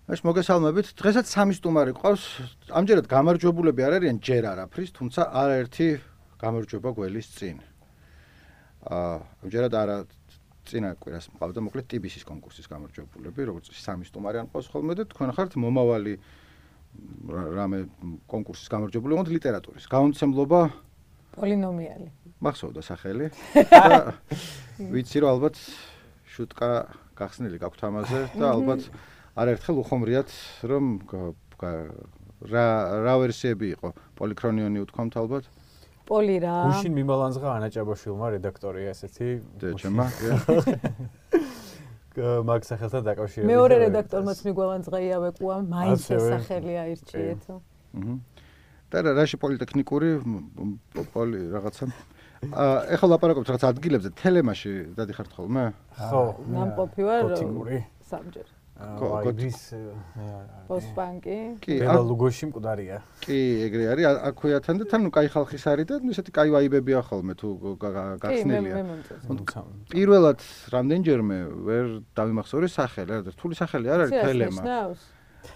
ეს მოგესალმებით. დღესაც სამი სტუმარი ყავს. ამჯერად გამარჯვებულები არ არიან ჯერ არაფრის, თუმცა არაერთი გამარჯვება გველის წინ. ამჯერად არა წინა კვირას მყავდა მოკლედ TBC-ის კონკურსის გამარჯვებულები, როგორც სამი სტუმარი ან ყავს ხოლმე და თქვენ ხართ მომავალი რამე კონკურსის გამარჯვებული, ოღონდ ლიტერატურის. გამომცემლობა პოლინომიალი. მახსოვდა სახელი და ვიცი რომ ალბათ შუტკა გახსნილი გაქვთ ამაზე და ალბათ არაერთხელ უხომრიათ რომ რა ვერსიები იყო პოლიქრონიონი უთქვამთ ალბათ პოლი რა გუშინ მიმალანძღა ანა ჭაბაშვილმა რედაქტორია ესეთი დეჩემა მაგ სახელთან დაკავშირებით მეორე რედაქტორმაც მიგვალანძღა იავეკუა მაინც სახელი აირჩიეთ და რაში პოლიტექნიკური პოლი რაღაცა ეხლა ლაპარაკობთ რაღაც ადგილებზე თელემაში დადიხართ ხოლმე ხო ნამყოფი ვარ სამჯერ გოდის პოსტბანკი ბელა ლუგოში მკვდარია კი ეგრე არის აქვეათან და თან კაი ხალხის არის და ისეთი კაი ვაიბებია ხოლმე თუ გახსნილია პირველად რამდენჯერმე ვერ დავიმახსოვრი სახელი რა რთული სახელი არ არის თელემა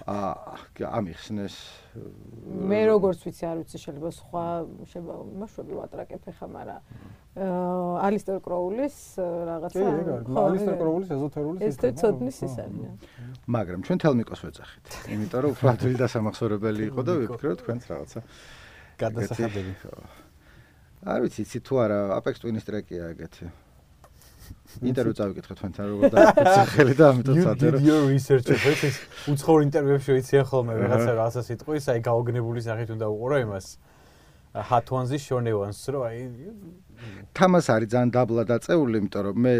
ამიხსნეს მე როგორც ვიცი არ ვიცი შეიძლება სხვა მაშობი ვატრაკებ ხა მაგრამ ალისტერ კროულის რაღაცა ალისტერ კროულის ეზოთერული ეს ცოდნის ის არის მაგრამ ჩვენ თელმიკოს ვეძახით იმიტომ რომ უფრო ადვილი დასამახსოვრებელი იყო და ვიფიქრე თქვენც რაღაცა გადასახადები არ ვიცი იცი თუ არა Apex Twin-ის ტრეკია ეგეთი ინტერვიუ წავიკითხე თქვენთან როგორ დაახელი და ამიტომ წაწერე. You did your research ეს უცხოურ ინტერვიუებში ვიცია ხოლმე რაღაცა სიტყვის, აი გაოგნებული სახით უნდა უყურო იმას. Hot ones-ის შორნევანს რო აი თამას არის ძალიან დაბლა დაწეული, იმიტომ რომ მე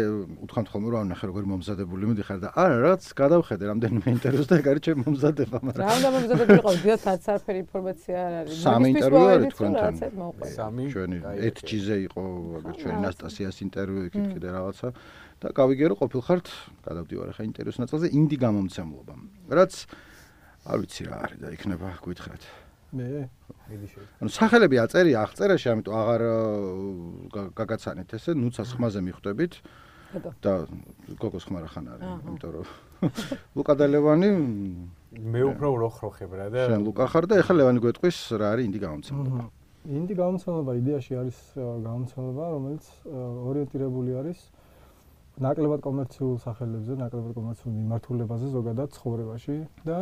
უთქვამთ ხოლმე რომ ნახე როგორ მომზადებული მიდიხარ და არა რაც გადავხედე რამდენიმე ინტერვიუს და ეგ არის ჩემი მომზადება, მაგრამ რამდენი მომზადებული ყავს, დიახ, არაფერი ინფორმაცია არ არის. სამი ინტერვიუ არის თქვენთან. სამი ჩვენი 1G-ზე იყო ჩვენი ნასტასიას ინტერვიუ იქით კიდე რაღაცა და გავიგე რომ ყოფილხართ, გადავდივარ ახლა ინტერვიუს ნაწილზე ინდი გამომცემლობა. რაც არ ვიცი რა არის და იქნება გითხრათ. მე ანუ სახელები აწერია აღწერაში, ამიტომ აღარ გაგაცანით ესე, ნუცას ხმაზე მიხვდებით და გოგოს ხმა რახან არის, იმიტომ რომ ლუკა და ლევანი მე უფრო როხროხებ რა და შენ ლუკა ხარ და ეხლა ლევანი გვეტყვის რა არის ინდი გამომცემლობა. ინდი გამომცემლობა იდეაში არის გამომცემლობა, რომელიც ორიენტირებული არის ნაკლებად კომერციულ სახელებზე, ნაკლებად კომერციულ მიმართულებაზე ზოგადად ცხოვრებაში და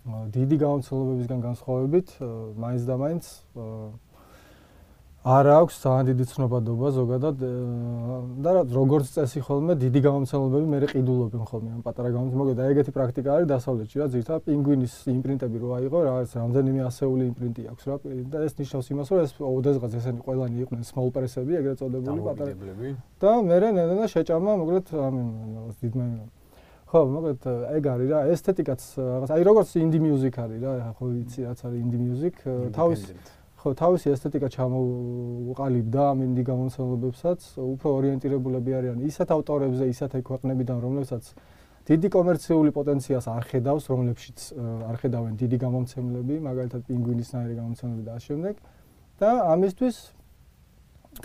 დიდი გამომცემლებებისგან განსხვავებით მაინც და მაინც არ აქვს ძალიან დიდი ცნობადობა ზოგადად და როგორც წესი ხოლმე დიდი გამომცემლებები მე ყიდულობენ ხოლმე ამ პატარა გამომცემლობებს. მოგედა ეგეთი პრაქტიკა არის დასავლეთში რა ზირთად პინგვინის იმპრინტები რო აიღო რაღაც რამდენიმე ასეული იმპრინტი აქვს რა და ეს ნიშნავს იმას რომ ეს ოდესღაც ესენი ყველანი იყვნენ small press-ები ეგრეთ წოდებული პატარა და მე ნენა შეჭამა მოკლედ ამის დიდმა ხო, მოკლედ ეგ არის რა, ესთეტიკაც რაღაც, აი როგორც indie music არის რა, ხო ვიცი რაც არის indie music, თავისი ესთეტიკა ჩამოუყალიბდა ამ indie გამომცემლებებსაც, უფრო ორიენტირებულები არიან ისეთ ავტორებზე, ისეთ ქვეყნებიდან, რომლებსაც დიდი კომერციული პოტენციალს არ ხედავს, რომლებშიც არ ხედავენ დიდი გამომცემლები, მაგალითად პინგვინისნაირი გამომცემლები და ამ შემდეგ და ამისთვის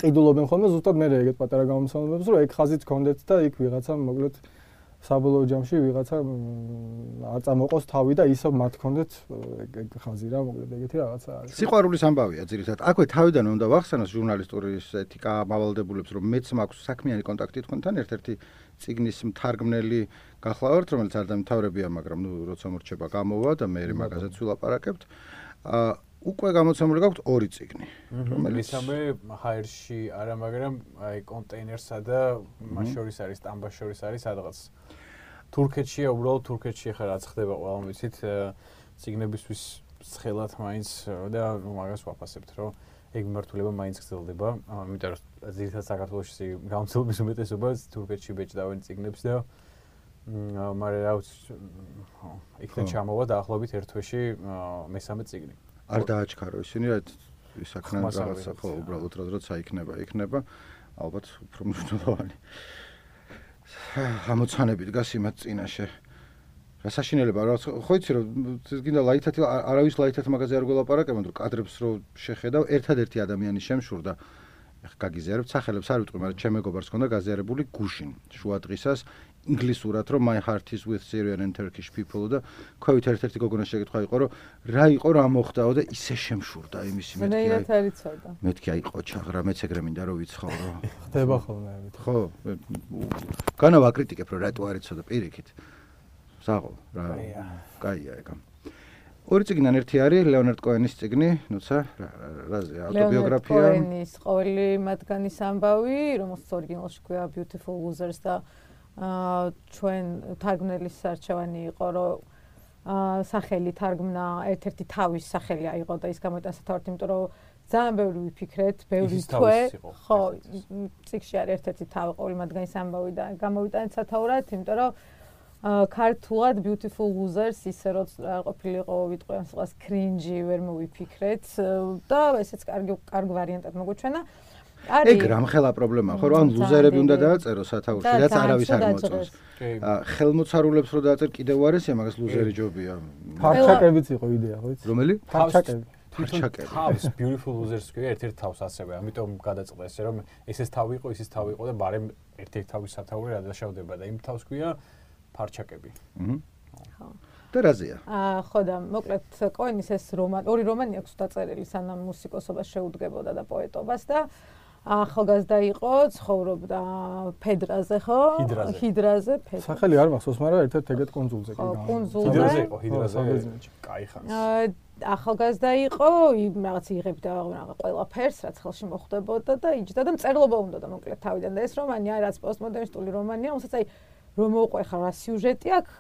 ყიდულობენ ხოლმე ზუსტად მე ეგეთ პატარა გამომცემლებებს, რომ ეგ ხაზით გქონდეთ და იქ ვიღაცა მოკლედ საბოლოო ჯამში ვიღაცა არ წამოყოს თავი და ისევ მათ გქონდეთ ეგ ხაზი რა მოკლედ ეგეთი რაღაცა არის. სიყვარულის ამბავია ძირითადად. აქვე თავიდანვე უნდა ვახსენოს ჟურნალისტურის ეთიკა მავალდებულებს, რომ მეც მაქვს საქმიანი კონტაქტი თქვენთან, ერთ-ერთი წიგნის მთარგმნელი გახლავართ, რომელიც არ დამთავრებია, მაგრამ ნუ როცა მორჩება გამოვა და მე მაგაზეც ვილაპარაკებთ. უკვე გამოცემული გაქვთ ორი წიგნი, რომელიც მესამე ჰაერში არა, მაგრამ აი კონტეინერსა და მას შორის არის სტამბას შორის არის სადღაც თურქეთშია, უბრალოდ თურქეთში ხა რაც ხდება ყველამ ვიცით წიგნებისთვის ცხელად მაინც და მაგას ვაფასებთ, რომ ეგ მიმართულება მაინც გრძელდება, იმიტომ რომ ძირითადად საქართველოში გამოცემლობის უმეტესობა თურქეთში ბეჭდავენ წიგნებს და მაგრამ რა ვიცი იქიდან ჩამოვა დაახლოებით ერთ თვეში მესამე წიგნი. არ დააჩქარო ისინი რა ისაქნან რაღაცა ხო უბრალოდ როცა იქნება ალბათ უფრო მნიშვნელოვანი ამოცანები დგას იმათ წინაშე რა საშინელება რა ხო იცი რომ გინდა ლაითათი არავის ლაითათ მაგაზე არ გველაპარაკებთ რომ კადრებს რო შეხედავ ერთადერთი ადამიანი შემშურდა ეხ გაგიზიარებთ სახელებს არ ვიტყვი მაგრამ ჩემ მეგობარს ქონდა გაზიარებული გუშინ შუადღისას ინგლისურად რომ my heart is with Syrian and Turkish people და ქვევით ერთ-ერთი გოგონას შეკითხვა იყო რომ რა იყო რა მოხდაო და ისე შემშურდა იმისი მეთქი აი ყოჩაღრა მეც ეგრე მინდა რომ ვიცხოვრო ხდება ხოლმე ამით ხო განა ვაკრიტიკებ რომ რატო არ იცოდა პირიქით საღო რა კაია ეგა ორი წიგნიდან ერთი არის ლეონარდ კოენის წიგნი, ნუცა, რაზე, ავტობიოგრაფია. ლეონარდ კოენის ყოველი მათგანის ამბავი, რომელსაც ორიგინალში ქვია Beautiful Losers და ჩვენ თარგმნელის არჩევანი იყო, რომ სახელი თარგმნა ერთ-ერთი თავის სახელი აიღო და ის გამოიტანა სათავად, იმიტომ რომ ძალიან ბევრი ვიფიქრეთ, ბევრი თვე, ხო, წიგნში არის ერთ-ერთი თავი ყოველი მათგანის ამბავი და გამოვიტანეთ სათავად, იმიტომ რომ ქართულად Beautiful Losers ისე რომ ყოფილიყო ვიტყვი ამ სიტყვას cringe ვერ მოვიფიქრეთ და ესეც კარგი ვარიანტად მოგვეჩვენა. ეგ რამხელა პრობლემაა, ხო, რომ ან ლუზერები უნდა დააწერო სათაურში, რაც არავის არ მოწონს. ხელმოცარულებს რო დააწერ კიდევ არისია, მაგას ლუზერი ჯობია. ფარჩაკებიც იყო იდეა, ხო იცი? რომელი? ფარჩაკები. თავს Beautiful Losers ქვია ერთ-ერთ თავს ასევე, ამიტომ გადაწყდა ესე რომ ესეც თავი იყო, ისიც თავი იყო და ბარემ ერთ-ერთი თავის სათაური რა დაშავდება და იმ თავს ქვია ფარჩაკები. ხო. და რაზეა? ხო და მოკლედ კოენის ეს ორი რომანი აქვს დაწერილი სანამ მუსიკოსობას შეუდგებოდა და პოეტობას და ახალგაზრდა იყო, ცხოვრობდა ფედრაზე, ხო? ჰიდრაზე, ფედრაზე. სახელი არ მახსოვს, მაგრამ ერთ-ერთ ეგეთ კონძულზე კი გავა. კონძულზე. ჰიდრაზე იყო, ჰიდრაზე. კაი ხანს. ახალგაზრდა იყო, რაღაც იღებდა ყველაფერს, რაც ხელში მოხდებოდა და იჯდა და მწერლობა უნდა და მოკლედ თავიდან და ეს რომანი არის რაც პოსტმოდერნისტული რომანია, რომელსაც აი რომ მოყვე ხარ რა სიუჟეტი აქვს,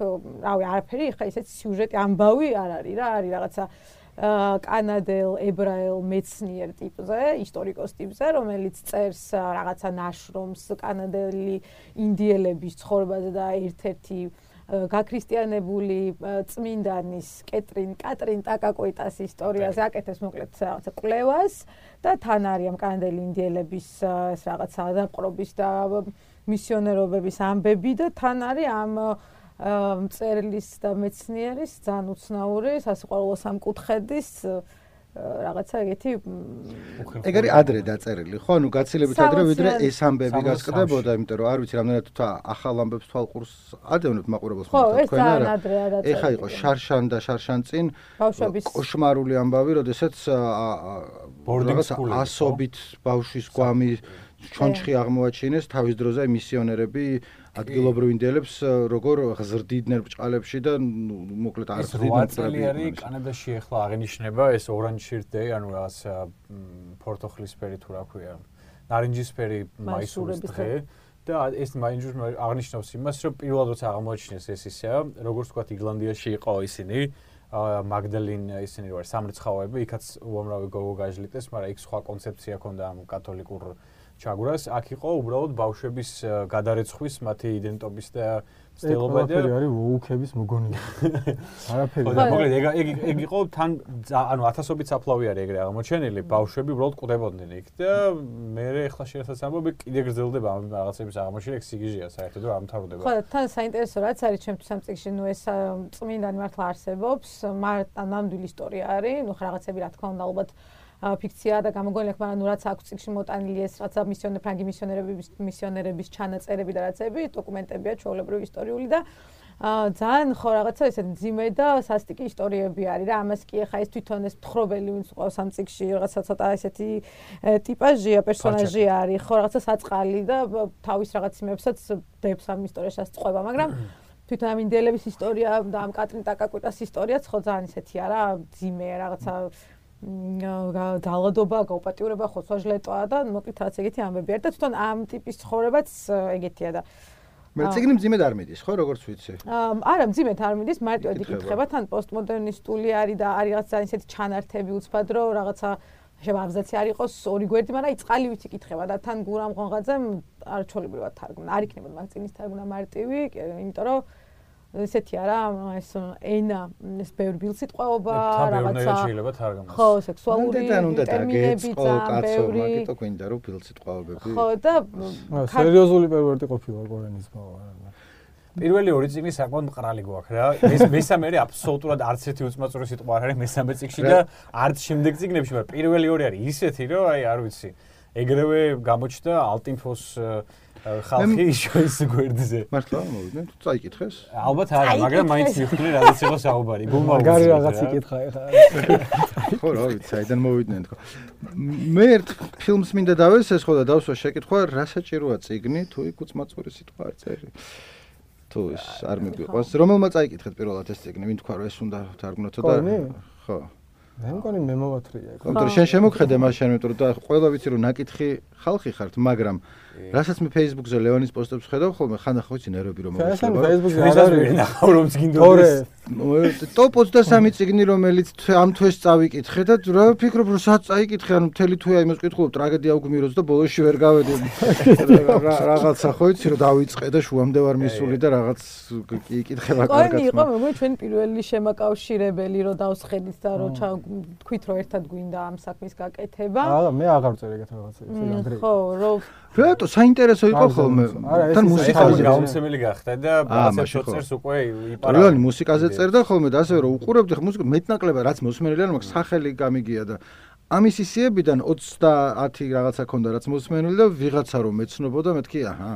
რავი, არაფერი, ხა ისეთ სიუჟეტი ამბავი არ არის რა, არის რაღაცა კანადელ, ებრაელ მეცნიერ ტიპზე, ისტორიკოს ტიპზე, რომელიც წერს რაღაცა ნაშრომს კანადელი ინდიელების ცხოვრებაზე და ერთ-ერთი გაქრისტიანებული წმინდანის კატრინ ტაკაკოიტას ისტორიაზე აკეთებს მოკლედ რაღაცა კვლევას და თან არის ამ კანადელი ინდიელების ეს რაღაცა დაპყრობის და მისიონერობების ამბები და თან არის ამ მწერლის და მეცნიერის ძალიან უცნაური სასიყვარულო სამკუთხედის რაღაცა ეგეთი ეგ არის ადრე დაწერილი ხო ანუ გაცილებით ადრე ვიდრე ეს ამბები გასკდებოდა იმიტომ რომ არ ვიცი რამდენად ახალ ამბებს თვალყურს ადევნებ მაყურებელს თქვენ არა ეხა იყო შარშან და შარშან წინ კოშმარული ამბავი როდესაც ასობით ბავშვის გვამი ჩონჩხი აღმოაჩინეს თავის დროზე მისიონერები ადგილობრივ ინდიელებს როგორ ღზრდიდნენ ბჭყალებში და მოკლედ არ ღზრდიდნენ წელი კანადაში ახლა აღინიშნება ეს ორანჟირდეი ანუ რაღაც პორტოხლისფერი თუ რა ქვია ნარინჯისფერი მაისურის დღე და ეს მაინჯური აღნიშნავს იმას რომ პირველად როცა აღმოაჩინეს ეს ისეა როგორც ვთქვათ იგლანდიაში იყო ისინი მაგდალინ ისინი ვარ სამრეცხაოები იქაც უამრავი გოგო გაჟლიტეს მაგრამ იქ სხვა კონცეფცია ჰქონდა ამ კათოლიკურ ჩაგვრას აქ იყო უბრალოდ ბავშვების გადარეცხვის მათი იდენტობის და ცდილობა და არაფერი არის ვოუქების მოგონილი არაფერი და მოკლედ ეგ იყო თან ანუ ათასობით საფლავი არის ეგრე აღმოჩენილი ბავშვები უბრალოდ კვდებოდნენ იქ და მე ახლა შეერთած ამბობი კიდე გრძელდება ამ რაღაცების აღმოჩენა სიგიჟეა საერთოდ რომ ამთავრდება ხო თან საინტერესო რაც არის ჩემთვის ამ წიგნში ნუ ეს წმინდანი მართლა არსებობს ნამდვილი ისტორია არის ნუ რაღაცები რა თქმა უნდა ალბათ ფიქცია და გამოგონილი აქვს, მაგრამ ნუ რაც აქვს წიგნში მოტანილი ეს რაცა ფრანგი მისიონერების ჩანაწერები და რაცები, დოკუმენტებია ჩვეულებრივი ისტორიული და ძალიან ხო რაღაცა ესეთ მძიმე და სასტიკი ისტორიები არის რა. ამას კი ახლა ეს თვითონ ეს მთხრობელი ვინც ყავს ამ წიგნში რაღაცა ცოტა ესეთი ტიპაჟია, პერსონაჟი არის, ხო რაღაცა საწყალი და თავის რაღაც იმებსაც დებს ამ ისტორიასაც წყვება, მაგრამ თვითონ ამ ინდიელების ისტორია და ამ კატრინ ტაკაკუტას ისტორიაც ხო ძალიან ესეთია რა, მძიმეა რაღაცა ძალადობა, გაუპატიურება, ხოცვა-ჟლეტვა და მოკლედ რაც ეგეთი ამბები არის და თვითონ ამ ტიპის ცხოვრებაც ეგეთია და მე წიგნი მძიმედ არ მიდის, ხო, როგორც ვიცი? არა, მძიმედ არ მიდის, მარტივად იკითხება, თან პოსტმოდერნისტული არის და არის რაღაც ძალიან ისეთი ჩანართები უცბად, რომ რაღაცა შევაბზაცი არ იყოს ორი გვერდი, მაგრამ იწყალივით იკითხება და თან გურამ ღონღაძემ არ ჩოლებრივად თარგმნა. არ იქნებოდა მაგ წიგნის თარგმნა მარტივი, იმიტომ რომ ესეთია რა, ეს ენა, ეს ბევრი ბილსიტყვაობა, რაღაცა შეიძლება თარგმნას. ხო, სექსუალური ტერმინები ძალიან ბევრი. მაგიტო გვინდა რომ ბილსიტყვაობები. ხო და სერიოზული პერვერტი ყოფილა კორენის ბავა. პირველი ორი წიგნი საკმაოდ მყრალი გვაქვს რა. მესამე აბსოლუტურად არც ერთი უწმაწური სიტყვა არ არის მესამე წიგნში და არც შემდეგ წიგნებში, მაგრამ პირველი ორი არის ისეთი რომ აი არ ვიცი. ეგრევე გამოჩნდა ალტინფოს ხალხი შოის გვერდზე. მართლა მოვიდნენ, თუ წაიკითხეს? ალბათ არა, მაგრამ მაინც მივხვდი რადგან იყო საუბარი. მაგარი რაღაც იკითხა ეხლა. ხო, რა ვიცი, საიდან მოვიდნენ თქო. მე ერთ ფილმს მინდა დავესეს ხო და დავსვა შეკითხვა, რა საჭიროა წიგნი, თუ იქ უცმაწური სიტყვა არ წერი. თუ ეს არ მიგიყვას, რომელმა წაიკითხეთ პირველად ეს წიგნი, ვინ თქვა რომ ეს უნდა თარგმნოთო და ხო. მე მგონი მე მოვათრია. იმიტომ შენ შემოგხედე მას შენ იმიტომ და ყველა ვიცი რომ ნაკითხი ხალხი ხართ, მაგრამ რასაც მე Facebook-ზე ლევანის პოსტებს ხედავ ხოლმე ხანდახან ვიცი ნერვები რომ მოვიწყდება. შენ Facebook-ზე არ არის ნახავ რომ წიგნდოდეს. ტოპ 23 წიგნი რომელიც ამ თვეს წავიკითხე და რა ვფიქრობ რომ სადაც წაიკითხე ანუ მთელი თვე იმას ვკითხულობ ტრაგედია უგმიროს და ბოლოში ვერ გავედი. რაღაცა ხო ვიცი რომ დავიწყე და შუამდე ვარ მისული და რაღაც იკითხება კარგად. ყოლი იყო მეგონი ჩვენ პირველი შემაკავშირებელი რომ დავსხედით და რომ თქვით რომ ერთად გვინდა ამ საქმის გაკეთება. აა მე აღარ წერ ეგეთ რაღაცებს. ხო რომ რატო საინტერესო იყო ხოლმე თან მუსიკაზე გამომცემელი გახდა და ბაცებს შოწერს უკვე იპარა. რეალურად მუსიკაზე წერდა ხოლმე და ასევე რომ უყურებდი ხო მუსიკა მეტნაკლებად რაც მოსმენელი არ მაქვს სახელი გამიგია და ამის ისიებიდან 30 რაღაცა ქონდა რაც მოსმენელი და ვიღაცა რომ მეცნობოდა მეთქი აჰა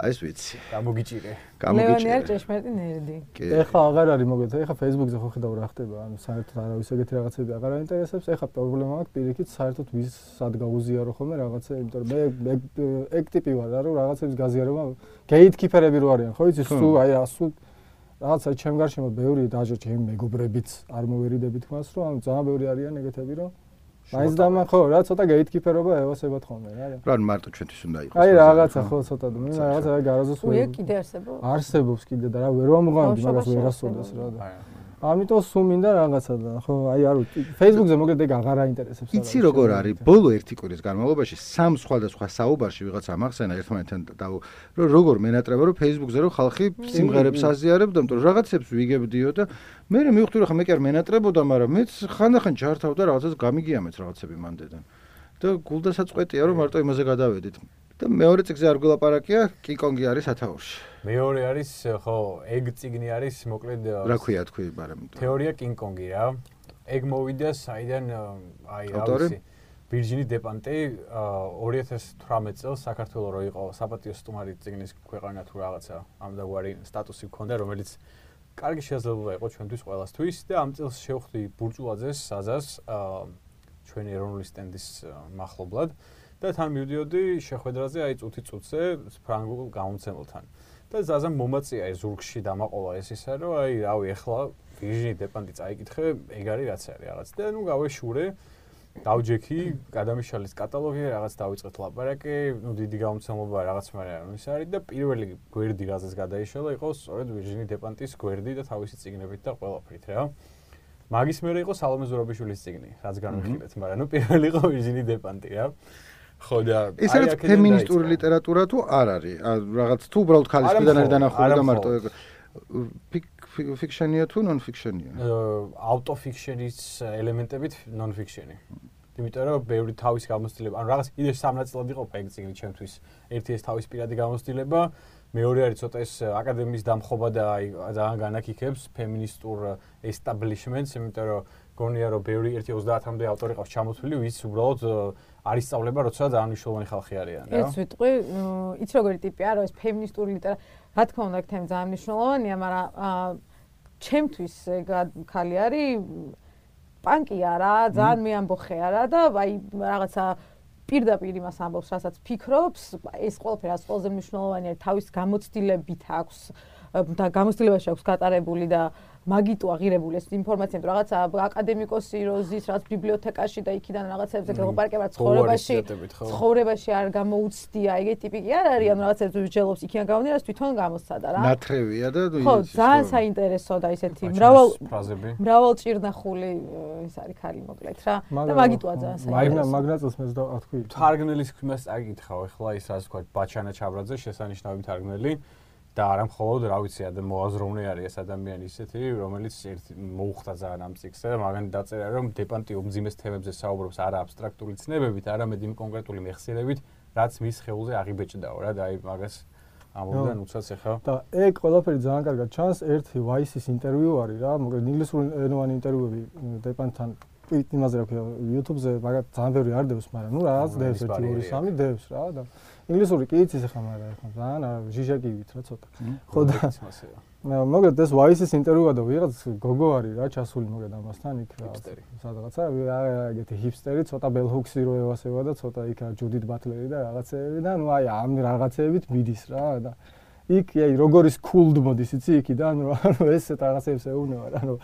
აი ეს ვიცი გამოგიჭირე ლევანი არ ჭეშმარიტი ნერდი ეხლა აღარ არის მოგეთ ეხლა Facebook-ზე ხო ხედავ რა ხდება ანუ საერთოდ არავის ეგეთი რაღაცები აღარ აინტერესებს ეხლა პრობლემა აქვს პირიქით საერთოდ ვის სად გაუზიარო ხოლმე რაღაცა იმიტომ რომ მე ეგ ტიპი ვარ რა რომ რაღაცების გაზიარება გეითკიფერები რო არიან ხო იცი სულ აი ასულ რაღაცა ჩემ გარშემო ბევრი დაჟე ჩემი მეგობრებიც არ მოვერიდებით მას რომ ანუ ძალიან ბევრი არიან ეგეთები რომ მაინც დამა ხო რა ცოტა გეითკიფერობა ევასებათ ხოლმე რა რა მარტო ჩვენთვის უნდა იყოს აი რაღაცა ხო ცოტა მე რაღაცა გარაზოს უე კიდე არსებობს არსებობს კიდე და რა ვერ ვამღავდი მაგას ვერასწორდეს რა და ამიტომ სულ მინდა რაღაცა და ხო აი არ ვიცი Facebook-ზე მოგეთ ეგ აღარ აინტერესებს რა იცი როგორ არის ბოლო ერთი კვირის განმავლობაში სამ სხვადასხვა საუბარში ვიღაცა მახსენა ერთმანეთთან და რომ როგორ მენატრება რომ Facebook-ზე რომ ხალხი სიმღერებს აზიარებდა იმიტომ რომ რაღაცებს ვიგებდიო და მე მივხვდი რომ ხა მე კი არ მენატრებოდა მაგრამ მეც ხანდახან ჯართავ და რაღაცას გამიგიამეთ რაღაცები მანდედან და გულდასაწყვეტია რომ მარტო იმაზე გადავედით და მეორე წიგნზე არ გულაპარაკია კიკონგი არის ათაურში მეორე არის ხო ეგ წიგნი არის მოკლედ რა ქვია თქვი მაგრამ თეორია კინგ-კონგი რა ეგ მოვიდა საიდან აი რა ვიცი ვირჯინი დეპანტე 2018 წელს საქართველოს რო იყო საპატიო სტუმარი წიგნის ქვეყანა თუ რაღაცა ამდაგვარი სტატუსი ჰქონდა რომელიც კარგი შესაძლებლობა იყო ჩვენთვის ყველასთვის და ამ წელს შევხვდი ბურჭულაძეს საზას ჩვენი ეროვნული სტენდის მახლობლად და თან მივდიოდი შეხვედრაზე აი წუთი-წუთზე ფრანგულ გამომცემელთან და ზაზამ მომაწია ეს ზურგში დამაყოლა ეს ისა რომ აი რავი ახლა ვიჟინი დეპანტი წაიკითხე ეგ არის რაც არის რაღაც და ნუ გავეშურე დავჯექი გადამიშალის კატალოგი რაღაც დავიწყეთ ლაპარაკი ნუ დიდი გამომცემლობა რაღაც მაგრამ ის არის და პირველი გვერდი რაზეც გადაიშალა იყო სწორედ ვიჟინი დეპანტის გვერდი და თავისი წიგნებით და ყველაფრით რა მაგის მერე იყო სალომე ზურაბიშვილის წიგნი რაც განვიხილეთ მაგრამ ნუ პირველი იყო ვიჟინი დეპანტი რა ხო და ეს არის ფემინისტური ლიტერატურა თუ არ არის რაღაც თუ უბრალოდ ხალისიდან არის დანახული და მარტო ფიქშენია თუ ნონ ფიქშენია ავტოფიქშენის ელემენტებით ნონ ფიქშენი იმიტომ რომ ბევრი თავის გამოცდილება ანუ რაღაც იდეა სამნაწილად იყო ეგ წიგნი ჩემთვის ერთი ეს თავის პირადი გამოცდილება მეორე არის ცოტა ეს აკადემიის დამხობა და აი ძალიან განაკიქებს ფემინისტურ ესტაბლიშმენტს იმიტომ რომ გონია რომ ბევრი 1-30-მდე ავტორი ყავს ჩამოთვლილი ვის უბრალოდ არის სწავლება როცა ძალიან მნიშვნელოვანი ხალხი არიან რა ეს ვიტყვი იცი როგორი ტიპი არა ეს ფემინისტური ლიტერატურა რა თქმა უნდა ეგ თემა ძალიან მნიშვნელოვანია მაგრამ ჩემთვის ეგ ხალი არის პანკია რა ძალიან მეამბოხე არა და აი რაღაცა პირდაპირ იმას ამბობს რასაც ფიქრობს ეს ყველაფერი რაც ყველაზე მნიშვნელოვანია თავის გამოცდილებით აქვს და გამოცდილებაში აქვს გატარებული და მაგიტო აღირებული ეს ინფორმაცია თუ რაღაცა აკადემიკოსი როზის რაც ბიბლიოთეკაში და იქიდან რაღაცებზე გელაპარაკება ცხოვრებაში არ გამოუცდია ეგეთი ტიპი კი არ არის ანუ რაღაცებს ვიჯელობს იქიდან გამომდინარე რაც თვითონ გამოსცადა რა ნათრევია და ხო ძალიან საინტერესო და ისეთი მრავალ ჭირნახული ეს არის ხალი მოკლედ რა და მაგიტოა ძალიან საინტერესო მაგნატოს მე და თქვი თარგმნელის ხმას წაგიკითხავ ახლა ის ასე ვთქვათ ბაჩანა ჩაბრაძე შესანიშნავი თარგმნელი და არა მხოლოდ რა ვიცი მოაზროვნე არის ეს ადამიანი ისეთი რომელიც მოუხდა ძალიან ამ წიგნს და მაგანი დაწერა რომ დეპანტი უმძიმეს თემებზე საუბრობს არა აბსტრაქტული ცნებებით არამედ იმ კონკრეტული მეხსიერებით რაც მის ხეულზე აღიბეჭდაო რა და აი მაგას ამბობდნენ უცაც ახლა და ეგ ყველაფერი ძალიან კარგად ჩანს ერთი ვაისის ინტერვიუ არის რა მოკლედ ინგლისური ენოვანი ინტერვიუები დეპანტთან იმაზე რა ქვია YouTube-ზე მაგათ ძალიან ბევრი არ დევს მაგრამ ნუ რაღაც დევს 1-2-3 დევს რა და ინგლისური კი იცის ახლა, მაგრამ ახლა ძალიან ჟიჟაკივით რა ცოტა. ხო და მოგეთ ეს ვაისის ინტერვიუ გადა ვიღაც გოგო არის რა ჩასული მოგეთ ამასთან იქ სადღაცა ეგეთი ჰიპსტერი ცოტა ბელჰუქსი რო ევასება და ცოტა იქ ჯუდით ბატლერი და რაღაცეები და ნუ აი ამ რაღაცეებით მიდის რა და იქ აი როგორ ის cool მოდის იცი იქიდან რომ ესეთ რაღაცებს ეუბნება რა რომ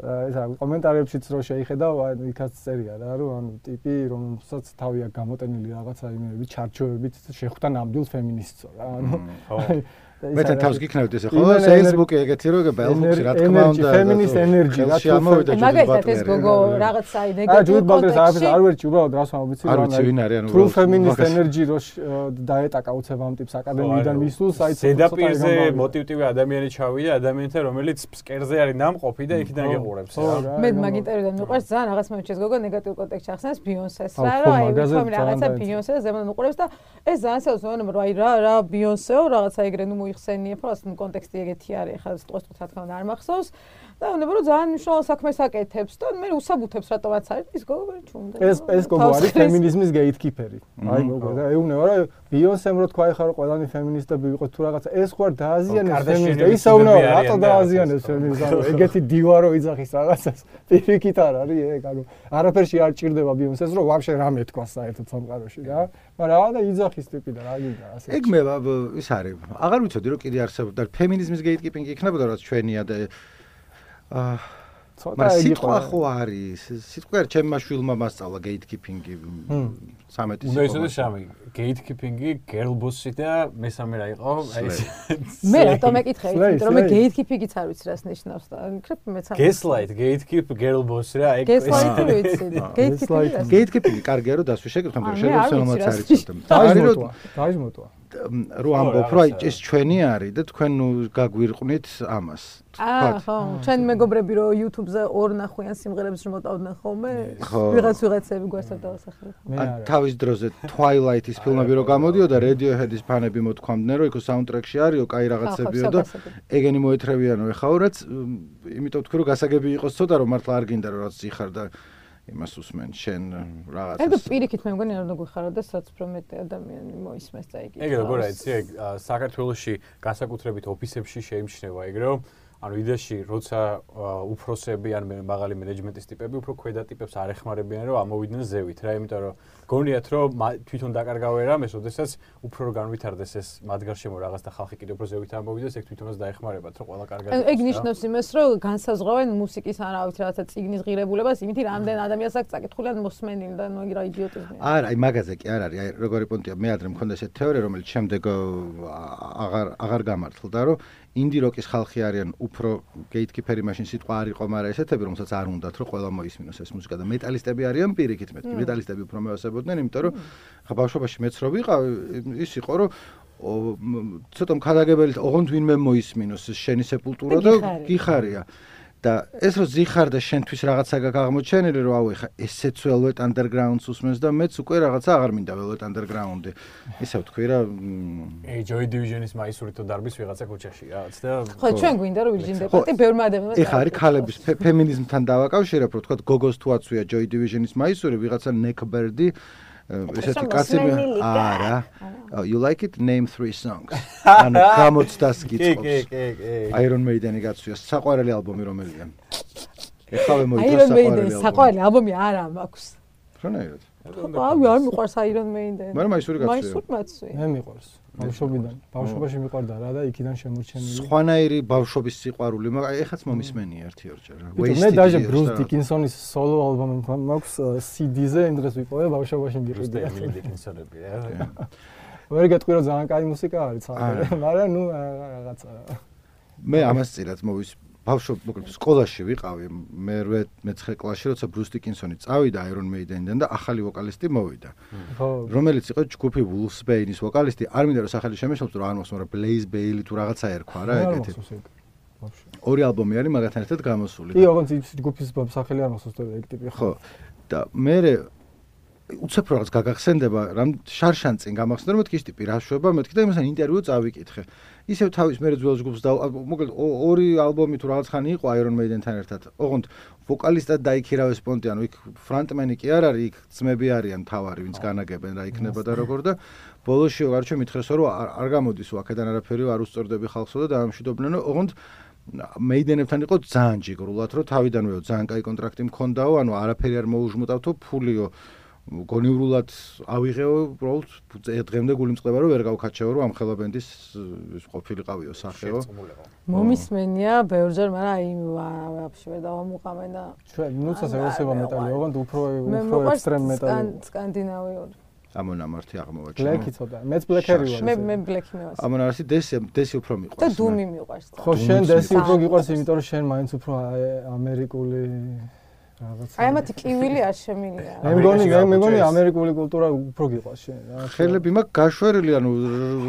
ეს კომენტარებშიც რო შეიხედავ იქაც წერია რა რომ ანუ ტიპი რომელსაც თავი აქვს გამოტენილი რაღაცა იმეები ჩარჩოებით შეხვდა ნამდვილ ფემინისტს რა ანუ მე თავს გიქნევთ ესე ხო Facebook-ი ეგეთი რო ბელჰუქსი რა თქმა უნდა ფემინისტ ენერგი რა თქმა მაგალითად ეს გოგო რაღაცა აი ნეგატიურ კონტექსტში არ ვერჩი უბრალოდ რას ვამბიცი რა ანუ true feminist energy რო დაეტაკა უცებ ამ ტიპს აკადემიიდან მისულს აი ზედაპირზე მოტივტივი ადამიანი ჩავიდა ადამიანთან რომელიც ფსკერზე არის ნამყოფი და იქიდან გეყურებს რა მე მაგ ინტერვიუდან მიყვარს ძალიან რაღაც მომჩეს გოგო ნეგატიურ კონტექსტში ახსენებს ბიონსეს რა რომ აი ვთქვამი რაღაცა ბიონსეს ზემოდან უყურებს და ეს ძალიან საოცრია რომ აი რა ბიონსეო რაღაცა ეგრე ნუ ხსენიებ, რომ კონტექსტი ეგეთი არის, ხა სწორად რა თქმა უნდა არ მახსოვს და უნდა რომ ძალიან მნიშვნელოვან საქმეს აკეთებს და მე უსაბუთებს რატომაც არის ის გოგო ჩუმდა. ეს გოგო არის ფემინიზმის გეითკიპერი. აი გოგო და ეუბნება რომ ბიონსემ რო თქვა ეხლა რომ ყველანი ფემინისტები ვიყოთ თუ რაღაცა ეს ხო არ დააზიანებს ფემინიზმს. ისეუნა რატო დააზიანებს ფემინიზმს? ეგეთი დივა რო იძახის რაღაცას. პირიქით არ არის ეგ, ანუ არაფერში არ ჭირდება ბიონსეს რომ ვაფშე რამე თქვა საერთოდ სამყაროში რა. მაგრამ და იძახის ტიპი და რა გინდა ასე. ეგ მე ის არის. აღარ ვიცოდი რომ კიდე არსებობდა ფემინიზმის გეითკიპინგი იქნებოდა რაც ჩვენია და მაგრამ სიტყვა ხო არის სიტყვა ჩემმა შვილმა მასწავლა გეითკიპინგი 13 უნდა ისოდეს სამი გეითკიპინგი girl boss-ი და მესამე რა იყო აი მე რატომ ეკითხე იმიტომ რომ მე გეითკიპინგიც არ ვიცი რას ნიშნავს და იქნებ მეც არ gaslight gatekeep girl boss რა ეგ gaslight ვიცი gatekeeping კარგია რომ დასვი შეკითხა მაგრამ შეიძლება სამაც არის ცოტა დაიზმოტვა რო ამბობ რომ აი ეს ჩვენი არის და თქვენ ნუ გაგვირყვნით ამას ხო ჩვენ მეგობრები რო YouTube-ზე ორ ნახვიან სიმღერებს შემოტავდნენ ხოლმე ვიღაცები გვასა დავასახელებ თავის დროზე Twilight-ის ფილმები რო გამოდიოდა Radiohead-ის ფანები მოთქვამდნენ რომ იქ საუნდტრეკში არისო კაი რაღაცებიო და ეგენი მოეთრევიანო ეხაო რაც იმიტომ თქვი რომ გასაგები იყოს ცოტა რომ მართლა არ გინდა რომ რაც იხარ და იმას უსმენ შენ რაღაცას. ეგ პირიქით მე მგონი არ უნდა გვიხარო და საცფრო მეტი ადამიანი მოისმეს და იგი. ეგ როგორ არის ეგ საქართველოში განსაკუთრებით ოფისებში შეიმჩნევა ეგ რომ ანუ იდეაში როცა უფროსები ან მაღალი მენეჯმენტის ტიპები უფრო ქვედა ტიპებს არ ეხმარებიან რომ ამოვიდნენ ზევით რა იმიტომ რომ გონიათ რომ თვითონ დაკარგავენ რამეს ოდესაც უფრო რომ განვითარდეს ეს მათ გარშემო რაღაც და ხალხი კიდევ უფრო ზევით ამოვიდეს ეგ თვითონაც დაეხმარებათ რომ ყველა კარგად ეგ ნიშნავს იმას რომ განსაზღვრავენ მუსიკის ან რა ვიცი რაღაცა წიგნის ღირებულებას იმითი რამდენ ადამიანს აქვს წაკითხული ან მოსმენილი და ნუ რა იდიოტიზმია არა აი მაგაზე კი არ არის აი როგორი პონტია მე ადრე მქონდა ესეთი თეორია რომელიც შემდეგ აღარ გამართლდა რომ ინდი როკის ხალხი არიან უფრო გეითკიპერი მაშინ სიტყვა არ იყო მაგრამ ესეთები რომელსაც არ უნდათ რომ ყველა მოისმინოს ეს მუსიკა და მეტალისტები არიან პირიქით მეთქი მეტალისტები უფრო მევასებოდნენ იმიტომ რომ ხა ბავშვობაში მეც რო ვიყავ ის იყო რომ ცოტა მქადაგებელი ოღონდ ვინმე მოისმინოს შენი სეპულტურა და გიხარია და ეს რო ზიხარ და შენთვის რაღაცა გაგამოჩენილი რომ აუ ეხა ესეც Velvet Underground-ს უსმენს და მეც უკვე რაღაცა აღარ მინდა Velvet Underground-ი ისე ვთქვი რა Joy Division-ის მაისური თუ დარბის ვიღაცა ქუჩაში რაღაც და ხო ჩვენ გვინდა რომ Virgin Depart-ი ბევრმა ადამიანმა ეხა არის ქალების ფემინიზმთან დავაკავშირებ რომ თქვა გოგოს თუ აცვია Joy Division-ის მაისური ვიღაცა Neckbeard-ი ესეთი კაცი არა you like it name 3 songs ანუ გამოცდას გიწყობს Iron Maiden-ი გაცვია საყვარელი ალბომი რომელია ეხავე მოიწევს საყვარელი ალბომი არა მაქვს ხანაერად აი არ მიყვარს Iron Maiden მაგრამ მაისური გაცვია მაისური მაცვია მე მიყვარს ბავშვობიდან ბავშვობაში მიყვარდა რა და იქიდან შემორჩენილი სხვანაირი ბავშვობის სიყვარული მაგრამ ეხაც მომისმენია ერთი ორჯერ მე დაჟე Bruce Dickinson-ის solo ალბომი მაქვს CD-ზე იმ დღეს ვიპოვე ბავშვობაში მიყიდა Dickinson-ები რა ვერ გეტყვი რომ ძალიან კაი მუსიკა არის მაგრამ ნუ რაღაცა მე ამას წილად მოვის ბავშვობ სკოლაში ვიყავი მე 9 კლასში როცა Bruce Dickinson-ი წავიდა Iron Maiden-დან და ახალი ვოკალისტი მოვიდა რომელიც იყო ჯგუფი Wolfsbane-ის ვოკალისტი არ მინდა რომ სახელი შემეშალოს რომ არ მოხსნა მაგრამ Blaze Bailey თუ რაღაცა ერქვა რა ეგეთი ორი ალბომი არის მაგათთან ერთად გამოსული კი ოღონდ ჯგუფის სახელი არ მოხსოვს ეგ ტიპი ხო და მე უცებ რაღაც გაგახსენდება, რამ შარშან წინ გამახსენდა, რომ მეთქი ის ტიპი რა შვება, მეთქი და იმასთან ინტერვიუ წავიკითხე. ისევ თავის მე ძველ ჯგუფს და მოკლედ ორი ალბომი თუ რაღაც ხანი იყო Iron Maiden-თან ერთად. ოღონდ ვოკალისტად დაიქირავეს პონტი, ანუ იქ ფრონტმენი კი არ არის, იქ ძმები არიან თავარი, ვინც განაგებენ რა იქნება და როგორ და ბოლოში გარჩე მითხრესო რომ არ გამოდის აქედან არაფერი არ უსწორდები ხალხსო და დაამშვიდობდნენ, ოღონდ მეიდენებთან იყო ძალიან ჯიგრულად, რომ თავიდანვე ძალიან კაი კონტრაქტი მქონდაო, ანუ არაფერი არ მოუჟმუტავთო, ფულიო გონივრულად ავიღეო, უბრალოდ დღემდე გული მწყდება, რომ ვერ გავქაჩეო, რომ ამ ხელა ბენდის ყოფილიყავიო სახეო. მომისმენია ბევრჯერ, მაგრამ აი ვაფშე ვერ დავამუყამენ და ჩვენ ნუცას ევასება მეტალი, ოღონდ უფრო ექსტრემ მეტალი. სკანდინავიური. ამონამართი აღმოვაჩინა. ბლეკი ცოტა, მეც ბლეკერი ვარ. მე ბლეკი მევას. ამონამართი დესი უფრო მიყვარს. და დუმი მიყვარს. ხო, შენ დესი უფრო გიყვარს, იმიტომ რომ შენ მაინც უფრო ამერიკული რაღაცა. აი ამათი კივილი არ შემილია. მე მგონი ამერიკული კულტურა უფრო გიყვარს შენ. ხელები მაქვს გაშვერილი, ანუ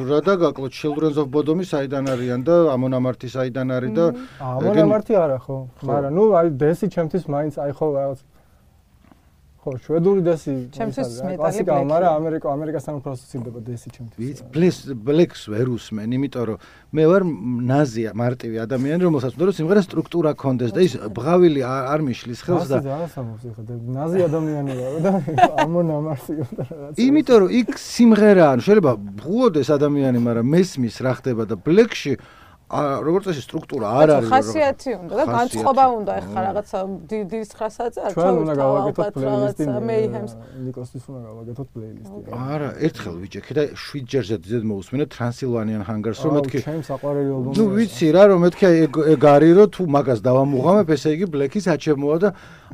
რა დაგაკლო Children of Bodom-ი საიდან არიან და ამონამართი საიდან არის და ამონამართი არა ხო, მაგრამ ნუ აი დესი ჩემთვის მაინც აი ხო რაღაც ხო, შვედური დესი. ჩემთვის მეტალი კლასიკა, მაგრამ ამერიკასთან უფრო ასოცირდება დესი ჩემთვის. ბლეკს ვერ უსმენ, იმიტომ რომ მე ვარ ნაზია, მარტივი ადამიანი, რომელსაც უნდა რომ სიმღერა სტრუქტურა ქონდეს და ის ბღავილი არ მიშლის ხელს და ზარასამოს ეხლა ნაზი ადამიანი ვარ და ამონამართი უნდა რაღაც. იმიტომ რომ იქ სიმღერა, ანუ შეიძლება ბღუოდეს ადამიანი, მაგრამ მესმის რა ხდება და ბლეკში როგორც ეს სტრუქტურა არ არის ხასიათი უნდა და განწყობა უნდა ეხლა რაღაცა დილის 9-ზე არ ჩვენ უნდა გავაკეთოთ პლეილისტი ნიკოსთვის უნდა გავაკეთოთ პლეილისტი არა ერთხელ ვიჭექე და 7 ჯერზე ძედ მოусმინე Transylvanian Hungers რომ მეთქი ჩემ საყვარელი ალბომი ნუ ვიცი რა რომ მეთქი ეგ არის რომ თუ მაგას დავამუღამებ ესე იგი ბლეკის აჩემოა და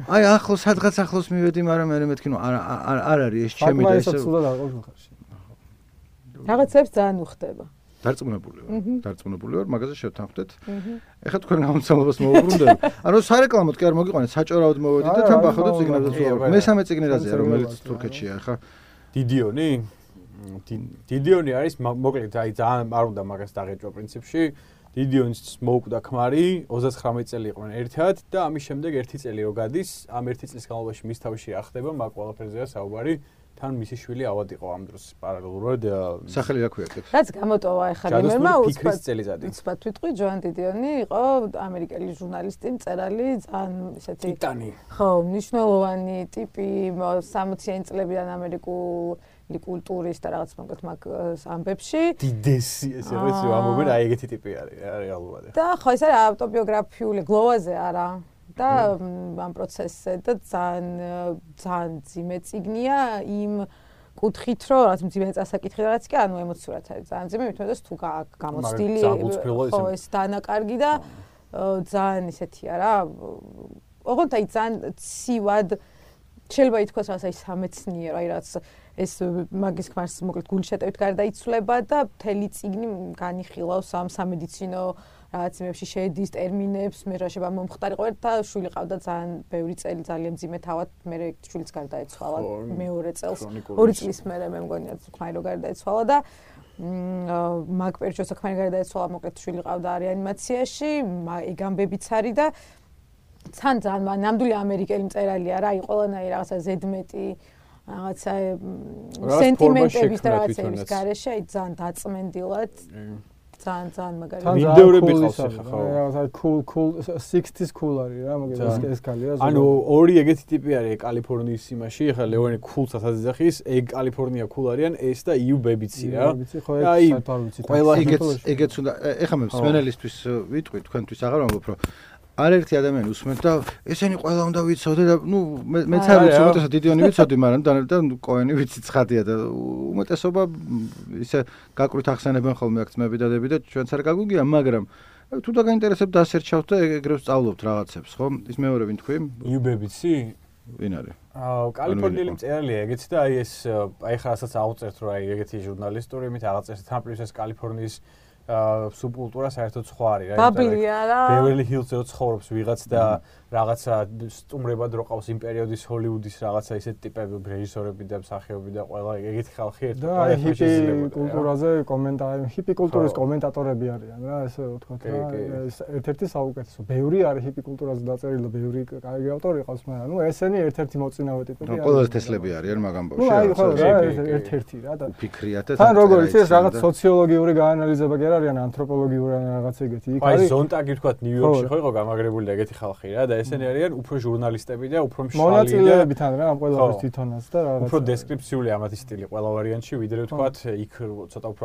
აი ახლოს სადღაც ახლოს მივედი მაგრამ მე მეთქი ნუ არ არის ეს ჩემი და ესე რაღაცებს ძალიან უხდება დარწმუნებული ვარ, მაგაზე შევთანხმდეთ. ეხლა თქვენ გამოცემობას მოუბრუნდეთ. ანუ სარეკლამოდ კი არ მოგიყვანეთ, საჭორაოდ მოვედით და თან ბახოთ წიგნებსაც ვუყურებთ. მესამე წიგნი რაზეა, რომელიც თურქეთშია ახლა? დიდიონი? დიდიონი არის მოკლედ აი ძალიან არ უნდა მაგას დაღეჭვა პრინციპში. დიდიონს მოუკვდა ქმარი, 39 წელი იყვნენ ერთად და ამის შემდეგ 1 წელი რო გადის, ამ 1 წლის განმავლობაში მის თავში რა ხდება, მაგ ყველაფერზეა საუბარი. თან მისი შვილი ავად იყო ამ დროს პარალელურად სახელი რა ქვია ეგ? რაც გამოტოვა ახლა იმერმა უცბად ვიტყვი ჯოან დიდიონი იყო ამერიკელი ჟურნალისტი, მწერალი, ძალიან ისეთი ტიტანი. ხო, მნიშვნელოვანი ტიპი 60-იანი წლებიდან ამერიკული კულტურის და რაღაც მოკლედ მაგ ამბებში. დიდესი ესე ვიცი, ამობენ აი ეგეთი ტიპი არის რეალურად. და ხო ეს არის ავტობიოგრაფიული გლოვაზე არა. და ამ პროცესზე და ძალიან ძიმე წიგნია იმ კუთხით რომ რაც ძიმე წასაკითხი რაც კი ანუ ემოციურად არის ძალიან ძიმე მithmetes თუ გამოცდილი ხო ეს დანაკარგი და ძალიან ისეთია რა ოღონდ აი ძალიან ცივად შეიძლება ითქვას რაღაც აი სამეცნიერო აი რაც ეს მაგის ქმარს მოკლედ გულშეტევით გარდაიცვლება და მთელი წიგნი განიხილავს ამ სამედიცინო რაღაც იმებში შეედის ტერმინებს, მე რა შეიძლება მომხდარი ყვერ და შვილი ყავდა ძალიან ბევრი წელი ძალიან ძიმე თავად, მე შვილიც გარდაეცვალა მეორე წელს, 2 წლის მერე მე მგონია თქვენ რო გარდაეცვალა და მაგ პერიოდში საქმე გარდაეცვალა, მოკლედ შვილი ყავდა რეანიმაციაში, ეგ ამბებიც არის და ძალიან ნამდვილი ამერიკელი მწერალია რა, ყველანაირი რაღაცა ზედმეტი რაღაცა სენტიმენტების და რაღაცების გარეშე, აი ძალიან დაწმენდილად ძალიან მაგარი. ვიდეოები ყავს ახლა ხო? რაღაცა cool 60s cool არის რა, მაგას ეს კალია. ანუ ორი ეგეთი ტიპი არის კალიფორნიის იმაში, ახლა ლეონი cool-საც აძახის, ეგ კალიფორნია cool არიან, ეს და you baby-ცი რა. აი ყველა ეგეც უნდა ეხლა მე მსმენელისთვის ვიტყვი, თქვენთვის აღარ ვამბობ, რომ არაერთი ადამიანი უსმენთ და ესენი ყველა უნდა ვიცოდე და ნუ მეც არ ვიცი, უმეტესად დიდიონი ვიცოდი, მაგრამ და კოენი ვიცი ცხადია და უმეტესობა ისე გაკვირთ ახსენებენ ხოლმე აქ ძმები და დები და ჩვენც არ გაგვიგია, მაგრამ თუ დაგაინტერესებთ დასერჩავთ და ეგრევე სწავლობთ რაღაცებს, ხო? ის მეორე ვინ თქვი? you baby-ცი? ვინ არის? კალიფორნიელი მწერალია ეგეც და აი ეს აი ხასაც აუწერთ რომ აი ეგეთი ჟურნალისტური იმით აღწერთ თან პლუს ეს კალიფორნიის სუბკულტურა საერთოდ სხვა არის რა. ბაბლია რა. ბევერლი ჰილზზე ცხოვრობს ვიღაც და რაღაცა სტუმრებად რო ყავს იმ პერიოდის ჰოლივუდის რაღაცა ისეთ ტიპები, რეჟისორები და მსახიობები და ყველა ეგეთი ხალხი ერთად. და ჰიპი კულტურაზე კომენტარი, ჰიპი კულტურის კომენტატორები არიან რა, ესე ვთქვათ რა. ეს ერთ-ერთი საუკეთესო. ბევრი არის ჰიპი კულტურაზე დაწერილი და ბევრი კაი ავტორი ყავს, მაგრამ ნუ ესენი ერთ-ერთი მოწინავე ტიპები არიან. ყველაზე თესლები არიან მაგ ამბავში. ნუ აი ხო რა, ერთ-ერთი რა და ფიქრიათ და თან როგორ იცი ეს რაღაც სოციოლოგიური გაანალიზება კი არ არიან, ანთროპოლოგიური რაღაც ეგეთი. იქ აი არის ზონტაგი თქვათ ნიუ-იორკში ხო იყო გამაგრებული და ეგეთი ხალხი რა და ესენი არიან უფრო ჟურნალისტები და უფრო მშრალი და მონაწილეები თან რა ამ ყველაფრის თვითონაც და რაღაც უფრო დესკრიფციული ამათი სტილი ყველა ვარიანტში ვიდრე თქვათ იქ ცოტა უფრო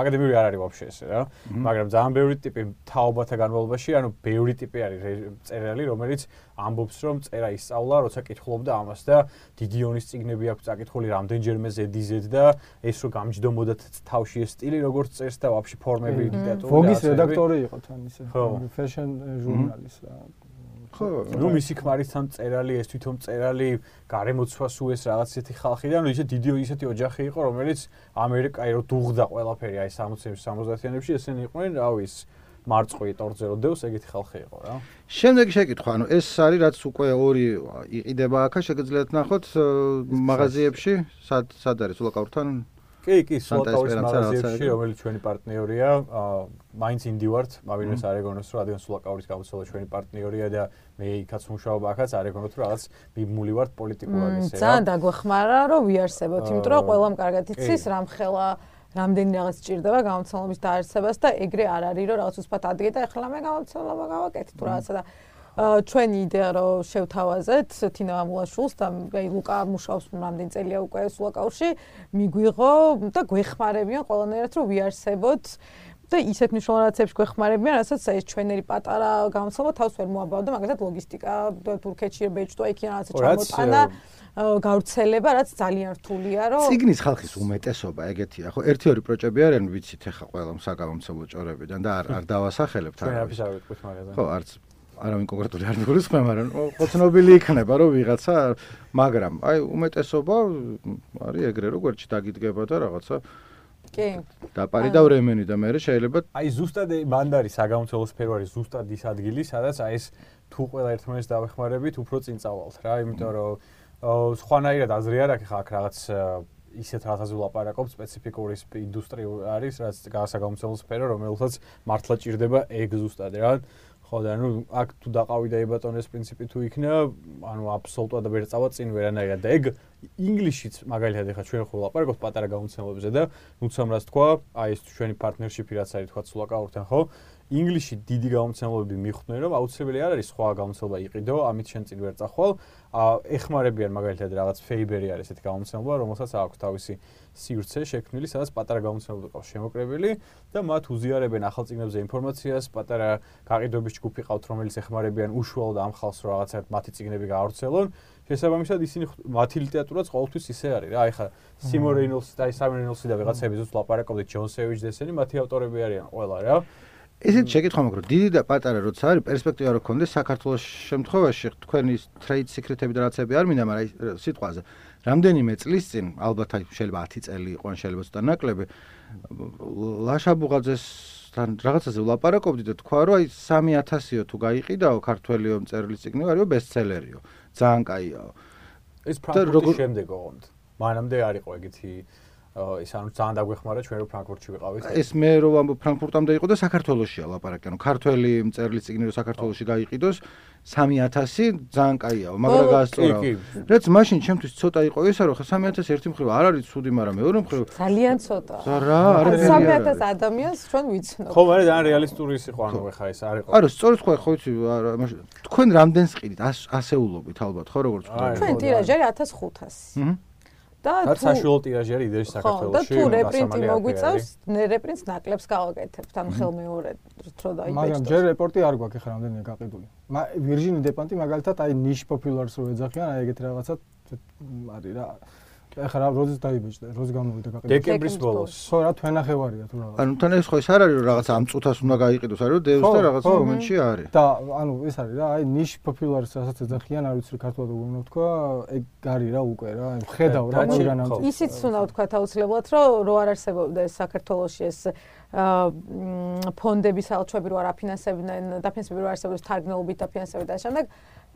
აკადემიური არ არის ვაფშე ესე რა მაგრამ ძალიან ბევრი ტიპი თაობათა განმავლობაში ანუ ბევრი ტიპი არის წერალი რომელიც ამბობს რომ წერა ისწავლა როცა კითხულობდა ამას და დიდი ონის წიგნები აქვს წაკითხული რამდენჯერმე ზედიზედ და ეს რო გამჯდომოდა თავში ეს სტილი როგორც წერს და ვაფშე ფორმები ლიტერატურული ვოგის რედაქტორი იყო თან ისე fashion ჟურნალის რა ხო ნუ მისი ქმარისთან წერალი ეს თვითონ წერალი გარემოცვა სულ ეს რაღაც ისეთი ხალხი და ნუ ისე დიდი ისეთი ოჯახი იყო რომელიც ამერიკაი რო დუღდა ყველაფერი აი 60-იანებში 70-იანებში ესენი იყვნენ რავი ის მარწყვი ტორზე რო დევს ეგეთი ხალხი იყო რა შემდეგი შეკითხვა ანუ ეს არის რაც უკვე ორი იყიდება აქა შეგიძლიათ ნახოთ მაღაზიებში სად არის ულაკაურთან კი, სულაკაურის მაღაზიებში, რომელიც ჩვენი პარტნიორია, მაინც ინდივართ, მავინეს არეგონოს, რადგან სულაკაურის გამოცელა ჩვენი პარტნიორია და მე იქაც მუშაობ აქაც არეგონოთ, რაღაც მიმული ვართ პოლიტიკურად ესე რა. ძალიან დაგვეხმარა, რომ ვიარსებოთ, იმიტომ რომ ყველამ კარგად იცის, რამხელა რამდენი რაღაც ჭირდება გამოცემების დაარსებას და ეგრე არ არის, რომ რაღაც უცბად ადგე და ეხლა მე გამოცემა გავაკეთე თუ რაღაცა და ჩვენი იდეა რომ შევთავაზეთ თინა ამულაშვილს და აი ლუკა მუშაობს რამდენი წელია უკვე სულაკაურში მიგვიღო და გვეხმარებიან ყველანაირად რომ ვიარსებოთ და ისეთ მნიშვნელოვან რაღაცებს გვეხმარებიან რასაც ეს ჩვენერი პატარა გამოცემა თავს ვერ მოაბავდა მაგალითად ლოგისტიკა თურქეთში ბეჭდვა იქ რაღაცა ჩამოტანა გავრცელება რაც ძალიან რთულია რომ ციგნის ხალხის უმეტესობა ეგეთია ხო 1-2 პროჭები არიან ვიცით ახლა ყველა საგამომცემლო ჭორებიდან და არ დავასახელებთ ხო არც არავინ კონკრეტული არ მიგულისხმე, მაგრამ ოცნობილი იქნება რომ ვიღაცა, მაგრამ აი უმეტესობა არის ეგრე რომ გვერდში დაგიდგება და რაღაცა კი. დაპარი და ვრემენი და მე შეიძლება აი ზუსტად მანდ არის საგამომცემლო სფერო არის ზუსტად ის ადგილი, სადაც აი ეს თუ ყველა ერთმანეთს დავეხმარებით, უფრო წინ წავალთ რა, იმიტომ რომ სხვანაირად აზრი არ აქვს აქ რაღაც ისეთ რაღაცაზე ვლაპარაკობ, სპეციფიკური ინდუსტრია არის, რაც საგამომცემლო სფერო, რომელსაც მართლა ჭირდება ეგ ზუსტად რა. ხო და ნუ აქ თუ დაყავი და ებატონეს პრინციპი თუ იქნა, ანუ აბსოლუტურად ვერ წავა წინ ვერანაირად და ეგ ინგლისშიც მაგალითად ეხა ჩვენ ხო ვლაპარაკობთ პატარა გამოცემლებზე და ნუცამ რას თქვა, აი ეს ჩვენი პარტნერშიპი რაც არის თქვა სულაკაურთან ხო? ინგლისში დიდი გამოცემლობები მიხვდნენ რომ აუცილებელი არ არის სხვა გამოცემლობა იყიდო, ამით შენ წინ ვერ წახვალ. ეხმარებიან მაგალითად რაღაც Faber-ი არის ესეთი გამოცემლობა, რომელსაც აქვს თავისი სივრცე შექმნილი, სადაც პატარა გამოცემლობები ყავს შემოკრებილი და მათ უზიარებენ ახალ წიგნებზე ინფორმაციას, პატარა გაყიდვების ჯგუფი ყავთ, რომელიც ეხმარებიან უშუალოდ ამ ხალხს რომ რაღაცა მათი წიგნები გაავრცელონ. შესაბამისად ისინი მათი ლიტერატურაც ყოველთვის ისე არის რა. აი ხა სიმონ რეინოლსი და საიმონ რეინოლსი და ვიღაცები ზუსტ ლაპარაკობდით ჯონ სევიჯი და ესენი მათი ავტორები არიან ყველა რა. ესეთ შეკითხვა მაქვს რომ დიდი და პატარა როცა არის პერსპექტივა რო გქონდეს საქართველოს შემთხვევაში თქვენი trade secret-ები და რაღაცები არ მინდა მაგრამ სიტყვაზე რამდენიმე წლის წინ ალბათ აი შეიძლება 10 წელი იყო ან შეიძლება ცოტა ნაკლები ლაშა ბუღაძესთან რაღაცაზე ვლაპარაკობდი და თქვა რომ აი 3000-იო თუ გაიყიდაო ქართველიო მწერლის წიგნი არისო ბესტსელერიო ძალიან კაიაო ეს ფრანკფურტის შემდეგ ოღონდ მანამდე არ იყო ეგეთი ის ანუ ძალიან დაგვეხმარა ჩვენ რო ფრანკფურტში ვიყავით. ეს მე რო ამბობ ფრანკფურტამდე იყო და საქართველოსია ლაპარაკი. ანუ ქართველი მწერლის წიგნი რო საქართველოში გაიყიდოს 3000 ძალიან კაიაო, მაგრამ გაასწორაო. რაც მაშინ ჩემთვის ცოტა იყო ესა რომ ხა 3000 ერთი მხრივ არ არის ცუდი, მაგრამ მეორე მხრივ ძალიან ცოტა. რა, არაფერი არ არის. 3000 ადამიანს ჩვენ ვიცნობ. ხო, მაგრამ ძალიან რეალისტური ის იყო, ანუ ხა ეს არ იყო. არა, სწორედ ხო იცი, თქვენ რამდენს ყიდით? ასეულობით ალბათ, ხო როგორც ვთქვი. ჩვენ ტირაჟი არის 1500. და თუ საშუალო ტირაჟი არის იდეაში საქართველოში. და თუ რეპრინტი მოგვიწევს, რეპრინტს ნაკლებს გავაკეთებთ, ანუ ხელმეორედ რო დაიბეჭდოს. მაგრამ ჯერ რეპორტი არ გვაქვს ახლა რამდენია გაყიდული. ვირჟინი დეპანტი მაგალითად აი ნიშ პოპულარს რო ეძახიან, აი ეგეთ რაღაცა არის რა. ეხლა რა როდის დაიბეჭდა, როდის გამოვიდა გაყიდვა? დეკემბრის ბოლოს. ხო, რა თვენახევარია თუ რაღაც. ანუ თან ეს ხო ეს არ არის რომ რაღაც ამ წუთას უნდა გაიყიდოს, არის რომ დევს და რაღაც მომენტში არის. და ანუ ეს არის რა, აი niche popular-ს რასაც ეძახიან, არ ვიცი ქართულად როგორ უნდა ვთქვა, ეგ არის რა უკვე რა, ხედავ რა მაგანამ. ისიც უნდა ვთქვა აუცილებლად, რომ რო არ არსებობდეს საქართველოში ეს ფონდების ალჩვები რო არ აფინანსებდნენ, დაფინანსები რო არ არსებობდეს თარგმნელობით დაფინანსები და შემდეგ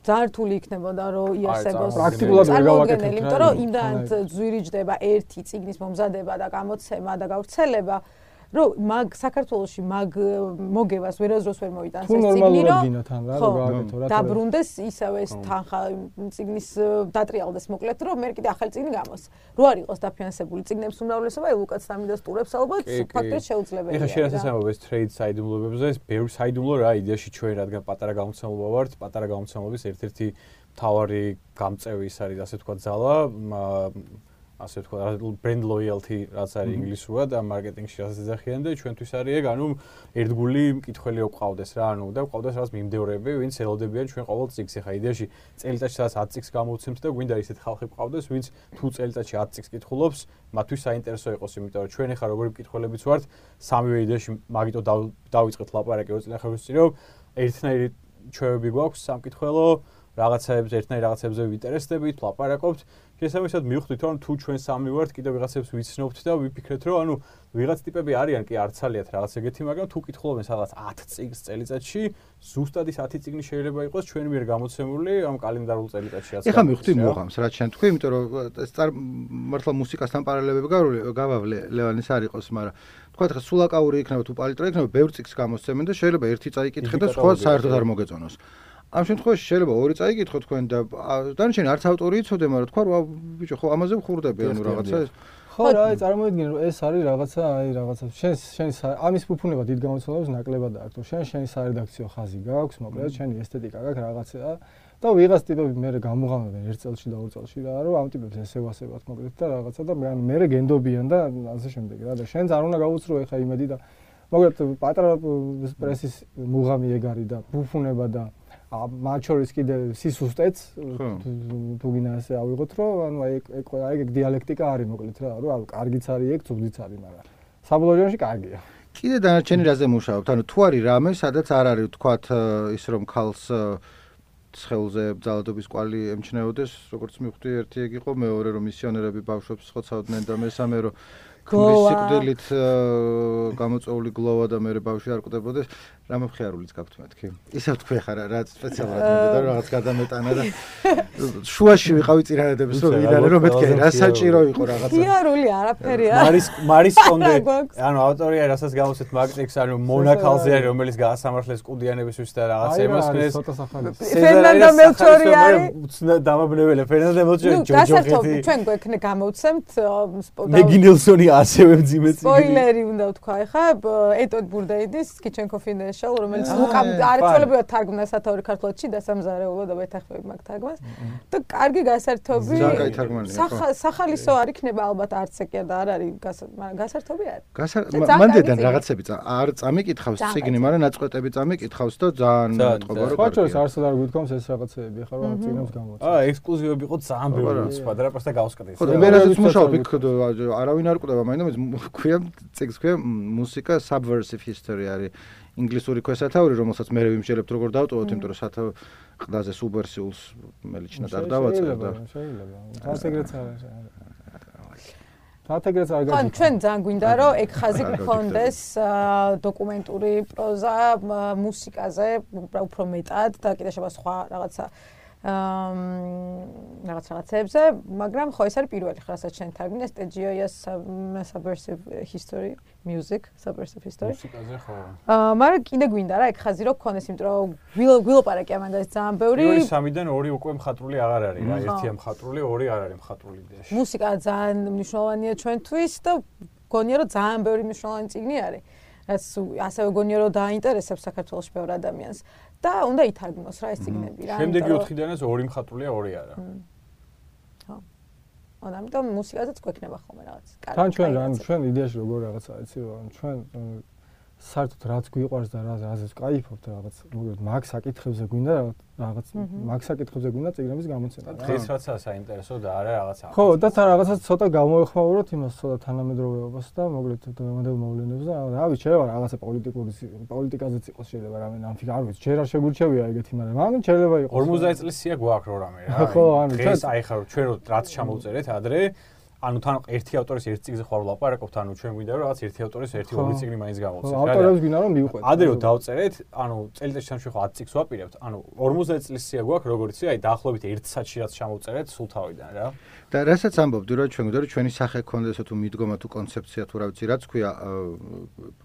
ძალიან რთული იქნებოდა რომ იარსებოს პრაქტიკულად ვერ გავაკეთებთ, იმიტომ რომ იმდან ზვირიჯდება ერთი წიგნის მომზადება და გამოცემა და გავრცელება რომ საქართველოში მოგევას ვერასდროს ვერ მოიტანს ეს წიგნი რომ გააკეთო რა დაბრუნდეს ისევ ეს თანხა წიგნის დატრიალდეს მოკლედ რომ მე კიდე ახალი წიგნი გამოს რო არ იყოს დაფინანსებული წიგნების უმრავლესობა ელუკაც დამინდა სტურებს ალბათ ფაქტობრივად შეუძლებელია ეხლა შეიძლება ეს ტრეიდ საიდუმლოებებზე ეს ბევრი საიდუმლო რა იდეაში ჩვენ რადგან პატარა გამოცემულობა ვართ პატარა გამოცემულობის ერთ-ერთი მთავარი გამწევი ის არის ასე ვთქვათ ძალა ასე ვთქვათ brand loyalty რაც არის ინგლისურად და მარკეტინგში რასაც ეძახიან და ჩვენთვის არის ეგ ანუ ერთგული მკითხველი გვყავდეს რა ანუ და გვყავდეს რაღაც მიმდევრები ვინც ელოდებიან ჩვენ ყოველ წიგნს ეხა იდეაში წელიწადში სადაც 10 წიგნს გამოვცემთ და გვინდა ისეთ ხალხი გვყავდეს ვინც თუ წელიწადში 10 წიგნს კითხულობს მათთვის საინტერესო იყოს იმიტომ რომ ჩვენ ეხა როგორი მკითხველებიც ვართ სამივე იდეაში მაგიტო დავიწყეთ ლაპარაკი 20 წელი ხარვის წინ რომ ერთნაირი ჩვევები გვაქვს სამკითხველო რაღაცებს ერთნაირ რაღაცებზე ვინტერესდებით, ლაპარაკობთ. შესაბამისად მივხვდით რომ თუ ჩვენ სამი ვართ, კიდევ ვიღაცებს ვიცნობთ და ვიფიქრეთ რომ ანუ ვიღაც ტიპები არიან კი არცალიათ რაღაც ეგეთი, მაგრამ თუ კითხულობენ სადღაც 10 წიგნს წელიწადში, ზუსტად ის 10 წიგნი შეიძლება იყოს ჩვენ მიერ გამოცემული ამ კალენდარულ წელიწადშიაც. ეხლა მივხვდი მუღამს, რაც შენ თქვი, იმიტომ რომ ეს მართლა მუსიკასთან პარალელები გავავლე ლევანის არ იყოს, მაგრამ თქვა ხა სულაკაური იქნება თუ პალიტრა იქნება, ბევრ წიგნს გამოსცემენ და შეიძლება ერთი წაიკითხე და სხვა საერთოდ არ მოგეწონოს. ამ შემთხვევაში შეიძლება ორი წაიკითხო თქვენ და დანარჩენი არც ავტორი იცოდე, მაგრამ თქვა რა ბიჭო ხო ამაზე ვხურდები ანუ რაღაცა ეს ხო რა აი წარმოვიდგინე რომ ეს არის რაღაცა აი რაღაცა შენ ამის ფუფუნება დიდ გამოცემულებს ნაკლებად აქვს შენი სარედაქციო ხაზი გაქვს მოკლედ შენი ესთეტიკა გაქვს რაღაცა და ვიღაც ტიპები მე გამუღამებენ ერთ წელში და ორ წელში რა რომ ამ ტიპებს ესევასებათ მოკლედ და რაღაცა და მე გენდობიან და ასე შემდეგ რა და შენც არ უნდა გაუცრო ეხა იმედი და მოკლედ პატარა პრესის მუღამი ეგ არის და ფუფუნება და მათ შორის კიდე სისუსტეც თუ გინდა ასე ავიღოთ რომ ანუ აი ეგ დიალექტიკა არის მოკლედ რა რომ კარგიც არის ეგ ცუდიც არის მაგრამ საბოლოო ჯამში კარგია კიდე დანარჩენი რაზე მუშაობთ ანუ თუ არის რამე სადაც არ არის თქვათ ის რომ ქალს ცხელზე ძალადობის კვალი ემჩნეოდეს როგორც მივხვდი ერთი ეგ იყო მეორე რომ მისიონერები ბავშვებს ხოცავდნენ და მესამე რომ გლოვით გამოწეული გლოვა და მე ბავშვი არ კვდებოდეს რამე მხიარულიც გაქვთ მეთქი ისე ვთქვი ხარ რა სპეციალურად მინდა და რაღაც გადამეტანა და შუაში ვიყავი წინადადების რომ ვიდარე რომ მეთქი რა საჭირო იყო რაღაცა მხიარული არაფერი არის მარის კონდე ანუ ავტორია რასაც გამოსეთ მაგტექს ანუ მონაკალზე არის რომელიც გაასამართლეს კუდიანებისთვის და რაღაც ემასკნეს ფერნანდო მელჩორი არის დამაბნეველი ფერნანდო მელჩორი ჯოჯოხეთი ჩვენ გვექნე გამოვცემთ მეგი ნელსონი ასევე მძიმე წიგნი სპოილერი უნდა ვთქვა ხა ეტოდ ბურდეიდის kitchen confidential რომელიც ლუკამ არცოლებრივად თარგმნა სათაური ქართულადში და სამზარეულო და მეთახმები მაგ თარგმანს და კარგი გასართობი სახალისო არ იქნება ალბათ არც ეკია და არ არის მაგრამ გასართობი არის მანდედან რაღაცები არ წამიკითხავს წიგნი მაგრამ ნაწყვეტები წამიკითხავს და ძალიან მეტყობა რომ ხოჭოს არც არ გვითქვამს ეს რაღაცეები ხა რომ წიგნებს გამოვცემ ექსკლუზივები იყო ძალიან ბევრი სხვა და რა პროსტა გავსკდეს ხო მე რაზეც მუშაობ იქ არავინ არ კვდება მაინც ქვია წიგნს ქვია მუსიკა subversive history არის ინგლისური ქვესათაური რომელსაც მე ვიმსჯელებთ როგორ დავტოვოთ იმიტომ რომ სათავე ყდაზე სუბერსიულს მელიჩნად არ დავაწყებ და შეიძლება თასეგრეც არის თათეგრეც არ გაიგე ჩვენ ძალიან გვინდა რომ ეგ ხაზი გქონდეს დოკუმენტური პროზა მუსიკაზე უფრო მეტად და კიდე შეიძლება სხვა რაღაცა რაღაცებზე, მაგრამ ხო ეს არის პირველი ხაზი, რაც შენ თარგმნეს Tejia's subversive history, music, subversive history. მუსიკაზე ხო. მაგრამ კიდე გვინდა რა ეგ ხაზი რო გქონდეს, იმიტომ რომ გვილოპარაკი ამაგას ძალიან ბევრი. პირველი სამიდან ორი უკვე მხატვრული აღარ არის რა, ერთია მხატვრული, ორი არ არის მხატვრული იდეაში. მუსიკა ძალიან მნიშვნელოვანია ჩვენთვის და გონია რომ ძალიან ბევრი მნიშვნელოვანი წიგნი არის. რაც ასევე გონია რომ დაინტერესებს საქართველოს ბევრ ადამიანს. და უნდა ითარგმნოს რა ეს ციგნები რა. შემდეგი 4-დანაც ორი მხატვრულია, ორი არა. ხო. ამიტომ მუსიკაზეც გვექნება ხოლმე რაღაც. თან ჩვენ იდეაში როგორ რაღაცა იცი რომ ჩვენ საერთოდ რაც გვიყვარს და რაზეც ვკაიფობთ რაღაც მოკლედ მაგ საკითხებზე გვინდა რაღაც მაგ საკითხებზე გვინდა წიგნების გამოცემა. დღეს რაცაა საინტერესო და არა რაღაცა. ხო, და რაღაცა ცოტა გამოეხმაუროთ იმას ცოტა თანამედროვეობას და მოკლედ დღევანდელ მოვლენებს და რა ვიცი, შეიძლება რაღაცა პოლიტიკაზეც იყოს შეიძლება რამე ნამფიქ არ ვიცი, ჯერ არ შეგვირჩევია ეგეთი, მაგრამ მაგ შეიძლება იყოს. 50 წლის სია გვაქვს რო რამე რა. ხო, ანუ დღეს აი ხარ ჩვენ რაც ჩამოვწერეთ ადრე ანუ თან ერთი ავტორის ერთი წიგნზე ხარ ვლაპარაკობთ, ანუ ჩვენ გვინდა რომ რაღაც ერთი ავტორის ერთი ორი წიგნი მაინც გამოვცეთ. ავტორებს გვინდა რომ მივყვეთ. ადრე რომ დავწერეთ, ანუ წელიწადში ჩვენ ხო 10 წიგნს ვაპირებთ, ანუ 50 წლის სია გვაქვს, როგორც იცი, აი დაახლოებით 1 საათში რაც ჩამოვწერეთ სულ თავიდან რა. და რასაც ამბობდი რომ ჩვენ გვინდა რომ ჩვენი სახე ქონდეს თუ მიდგომა თუ კონცეფცია თუ რა ვიცი, რაც ქვია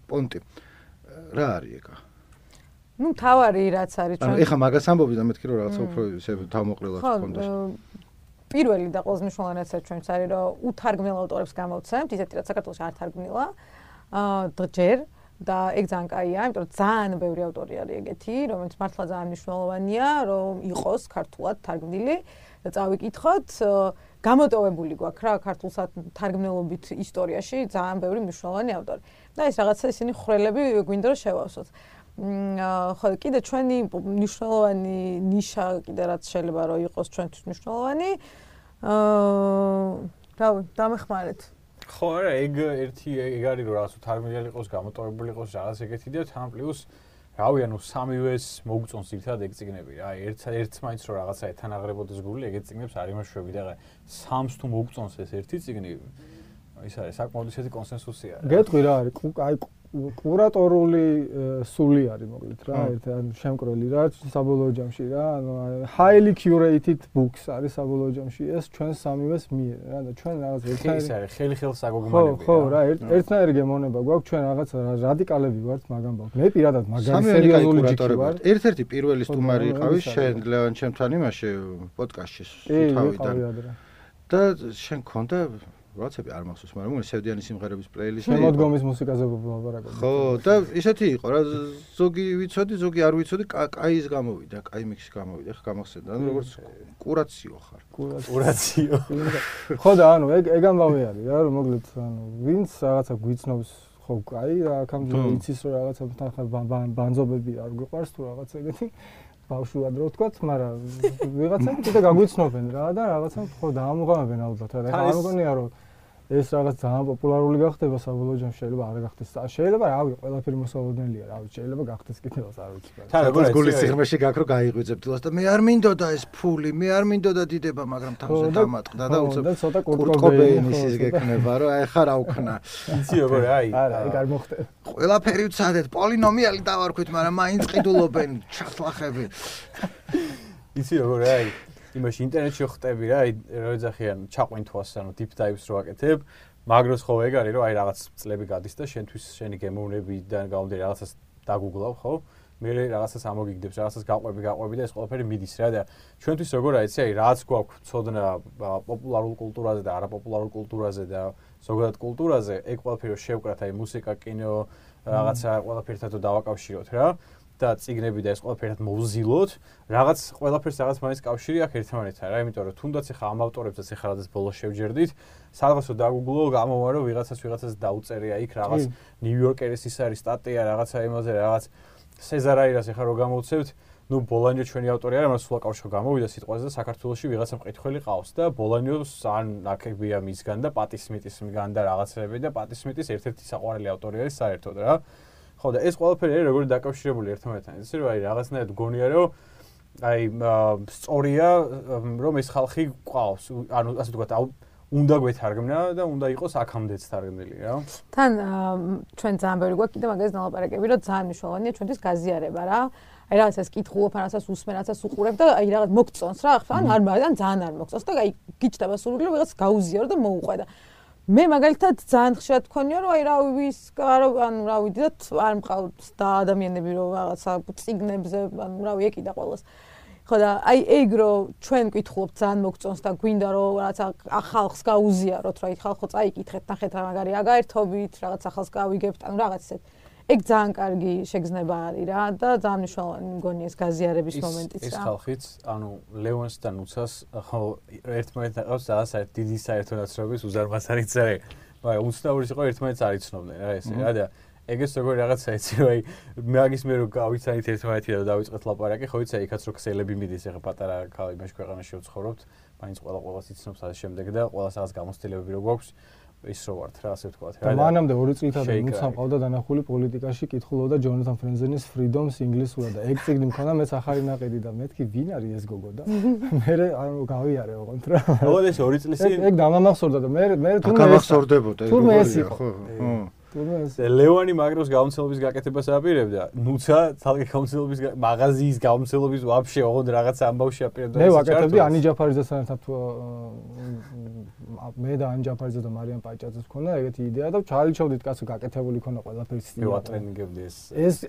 პონტი. რა არის ეგა? ნუ თავარი რაც არის ჩვენ. ანუ ეხა მაგას ამბობდი და მეთქი რომ რაღაცა უფრო თავმოყრილად ხონდეს. პირველი და ყველაზე მნიშვნელოვანი ჩვენც არის რომ უთარგმნელ ავტორებს გამოვცემთ, ისეთი რაც საქართველოში არ თარგმნილა. ჯერ და ეგ ძალიან კაია, იმიტომ რომ ძალიან ბევრი ავტორი არის ეგეთი, რომელიც მართლა ძალიან მნიშვნელოვანია, რომ იყოს ქართულად თარგმნილი და წავიკითხოთ. გამოტოვებული გვაქვს რა ქართულსა თარგმნელობით ისტორიაში ძალიან ბევრი მნიშვნელოვანი ავტორი. და ეს რაღაცა ისინი ხრელები გვინდა რომ შევავსოთ. ხო, კიდე ჩვენი მნიშვნელოვანი ნიშა კიდე რაც შეიძლება რომ იყოს ჩვენთვის მნიშვნელოვანი. რავი, დამეხმარეთ. ხო, არა, ეგ ეგ არის რომ რაღაც თარგმნილი იყოს, გამოტოვებული იყოს რაღაც ეგეთი და თან პლუს რავი, ანუ სამივეს მოგწონს ერთად ეგ წიგნები რა. ერთს მაინც რომ რაღაცა ეთანაღრებოდეს გული, ეგეთ წიგნებს არ იმაშვები და სამს თუ მოგწონს ეს ერთი წიგნი, ის არის საკმაოდ ისეთი კონსენსუსია. გეტყვი რა არის, აი კურატორული სული არის მოკლედ რა, ანუ შემკრელი რა, საბოლოო ჯამში რა, ანუ highly curated books არის საბოლოო ჯამში ეს ჩვენ სამივეს მიერ რა და ჩვენ რაღაც ეს არის ხელი-ხელს აგოგმანები. ხო, რა, ერთნაირი გემოვნება გვაქვს, ჩვენ რაღაც რადიკალები ვართ მაგ ამბავთ. მე პირადად მაგარი სერიოზული ჯიში ვარ. ერთ-ერთი პირველი სტუმარი იყავი შენ ლევან ჩემთან იმაში პოდკასტში თავიდან. და შენ ქონდა რაცები არ მახსოვს, მაგრამ მგონი სევდიანის სიმღერების პლეილისტი. შემოდგომის მუსიკაზე ვლაპარაკობ. ხო, და ისეთი იყო რა, ზოგი ვიცოდი, ზოგი არ ვიცოდი, კაის გამოვიდა, კაი მიქსი გამოვიდა, ხა გამახსენდა, ანუ როგორც კურაციო ხარ. კურაციო. ხო და ანუ ეგ ამბავი არის რა, რომ მოკლედ ანუ ვინც რაღაცა გვიცნობს, ხო, კაი რა, აქამდე იცის რომ რაღაცა თან ბანძობები არ გვიყვარს თუ რაღაცა ეგეთი. ბავშვად რო ვთქვათ, მაგრამ ვიღაცა კიდე გაგვიცნობენ რა და რაღაცა ხო დაამოღამებენ ალბათ რა. და არ მგონია რომ ეს რაღაც ძალიან პოპულარული გახდება საბოლოო ჯამში, შეიძლება არ გახდეს. შეიძლება რავი, ყველაფერი მოსალოდნელია, რავი, შეიძლება გახდეს კიდევაც არ ვიცი. თან როგორც გულის სიღრმეში გაქვს რომ გაიღვიძებ თილას და მე არ მინდოდა ეს ფული, მე არ მინდოდა დიდება, მაგრამ თავზე დამატყდა და უცებ კურტკობეინის ის გეკნება რომ აი ხარ აუქნა. იცი როგორ აი არა, ეგ არ მოხდა. ყველაფერი ვცადეთ, პოლინომიალი დავარქვით, მაგრამ მაინც ყიდულობენ ჩახლახები. იცი როგორ აი იმაში ინტერნეტში ხტები რა, აი რო ეძახიან ჩაყვინთვას, ანუ deep dives რო აკეთებ, მაგროს ხო ეგ არის რომ აი რაღაც წლები გადის და შენთვის შენი გემოვნებიდან გამომდინარე რაღაცას დაგუგლავ, ხო? მე რაღაცას ამოგიგდებს, რაღაცას გაყვები და ეს ყველაფერი მიდის რა და ჩვენთვის როგორ არის, აი რაც გვაქვს ცოდნა პოპულარულ კულტურაზე და არაპოპულარულ კულტურაზე და ზოგადად კულტურაზე, ეგ ყველაფერი შევკრათ, აი მუსიკა, კინო, რაღაცა ყველაფერთან დავაკავშიროთ რა. და წიგნები და ეს ყველაფერად მოვზილოთ, რაღაც ყველაფერს რაღაც მაინც კავშირი აქვს ერთმანეთთან რა, იმიტომ რომ თუნდაც ახლა ამ ავტორებსაც ახლა რადგან ბოლოს შევჯერდით, სადღაცო დაგუგლო, გამოვა რომ ვიღაცას დაუწერია იქ რაღაც ნიუ-იორკერის ის არის სტატია რაღაცა იმაზე, რაღაც სეზარაირას ახლა რო გამოვცევთ, ნუ ბოლანიო ჩვენი ავტორი არა, მაგრამ სულ აკავშირო გამოვიდა სიტყვაზე და საქართველოში ვიღაცა მყითხველი ყავს და ბოლანიოს ან ნაკებია მისგან და პატისმიტის მიგან და რაღაცები და პატისმიტის ერთ-ერთი საყვარელი ავტორი არის საერთოდ რა. ხო და ეს ყველაფერი არის როგორი დაკავშირებული ერთმანეთთან. ისე რომ აი რაღაცნაირად გონია რომ აი სწორია რომ ეს ხალხი ყავს. ანუ ასე ვთქვათ, უნდა გვეთარგმნა და უნდა იყოს აქამდეც თარგმნილი რა. თან ჩვენ ძალიან ბევრი გვაქვს კიდე მაგას ნალაპარაკები, რომ ძალიან მნიშვნელოვანია ჩვენთვის გაზიარება რა. აი რაღაცას კითხულობ, რაღაცას უსმენ, რაღაცას უყურებ და აი რაღაც მოგწონს რა. ან არ მაგრამ ძალიან არ მოგწონს და აი გიჩნდება სურვილი რომ ვიღაც გაუზიარო და მოუყვე და მე მაგალითად ძალიან ხშირად მქონია რომ აი რა ვის ანუ რა ვიდათ არ მყავს და ადამიანები რომ რაღაცა წიგნებზე ანუ რა ვიეკიდა ყოველას ხო და აი ეგ რომ ჩვენ გკითხულობთ ძალიან მოგწონს და გვინდა რომ რაღაცა ახალს გაუზიაროთ რა იქ ხალხო წაიკითხეთ ნახეთ რა მაგარი აგაერთობით რაღაც ახალს გავიგებთ ანუ რაღაც ესეთ ეგ ძალიან კარგი შეგრძნება არის რა და ძალიან მნიშვნელოვანი მგონი ეს გაზიარების მომენტიც რა. ეს ხალხიც, ანუ ლევონს და ნუცას ხო ერთმანეთთან ყავს ძალიან დიდი საერთო ნაცრობის უზარმაზარი წერე. მაგრამ უცნაურის იყო ერთმანეთს არ იცნობდნენ რა ესე რა და ეგეც როგორი რაღაცა იცი რომ აი მაგის მე რო გავიცანით ერთმანეთი და დავიწყეთ ლაპარაკი ხო იცი იქაც რო ქსელები მიდის ახლა პატარა ქალაქში ქვეყანაში ვცხოვრობთ მაინც ყველას იცნობს ამ შემდეგ და ყველას რაღაც გამოცდილებები რო გვაქვს ის რო ვართ რა ასე ვთქვათ რა და მანამდე 2 წლითადმი მუცა მყავდა დანახული პოლიტიკაში კითხულობდა ჯონათან ფრენზენის freedoms ინგლისურად და ეგ წიგნი მქონდა მეც ახალი ნაყიდი და მეთქი ვინ არის ეს გოგო და მე ანუ გავიარე ოღონდ რა მოგოდეს 2 წლის წინ ეგ დამამახსოვრდა და მე თურმე გამახსოვრდებოდა თურმე ეს იყო ხო ლევანი მაგროს გამოცდილების გაკეთებას აპირებდა ნუცა თალკე გამოცდილების მაღაზიის გამოცდილების ვაფშე ოღონდ რაღაცა ამბავში აპირებდა მე ვაკეთებდი ანი ჯაფარიძესთან ერთად მე და ანი ჯაფარიძე და მარიამ პაჭაძეს მქონდა ეგეთი იდეა და ჩაილჩავდით კაცო გაკეთებული ქონა ყველაფერი ვატრენინგებდი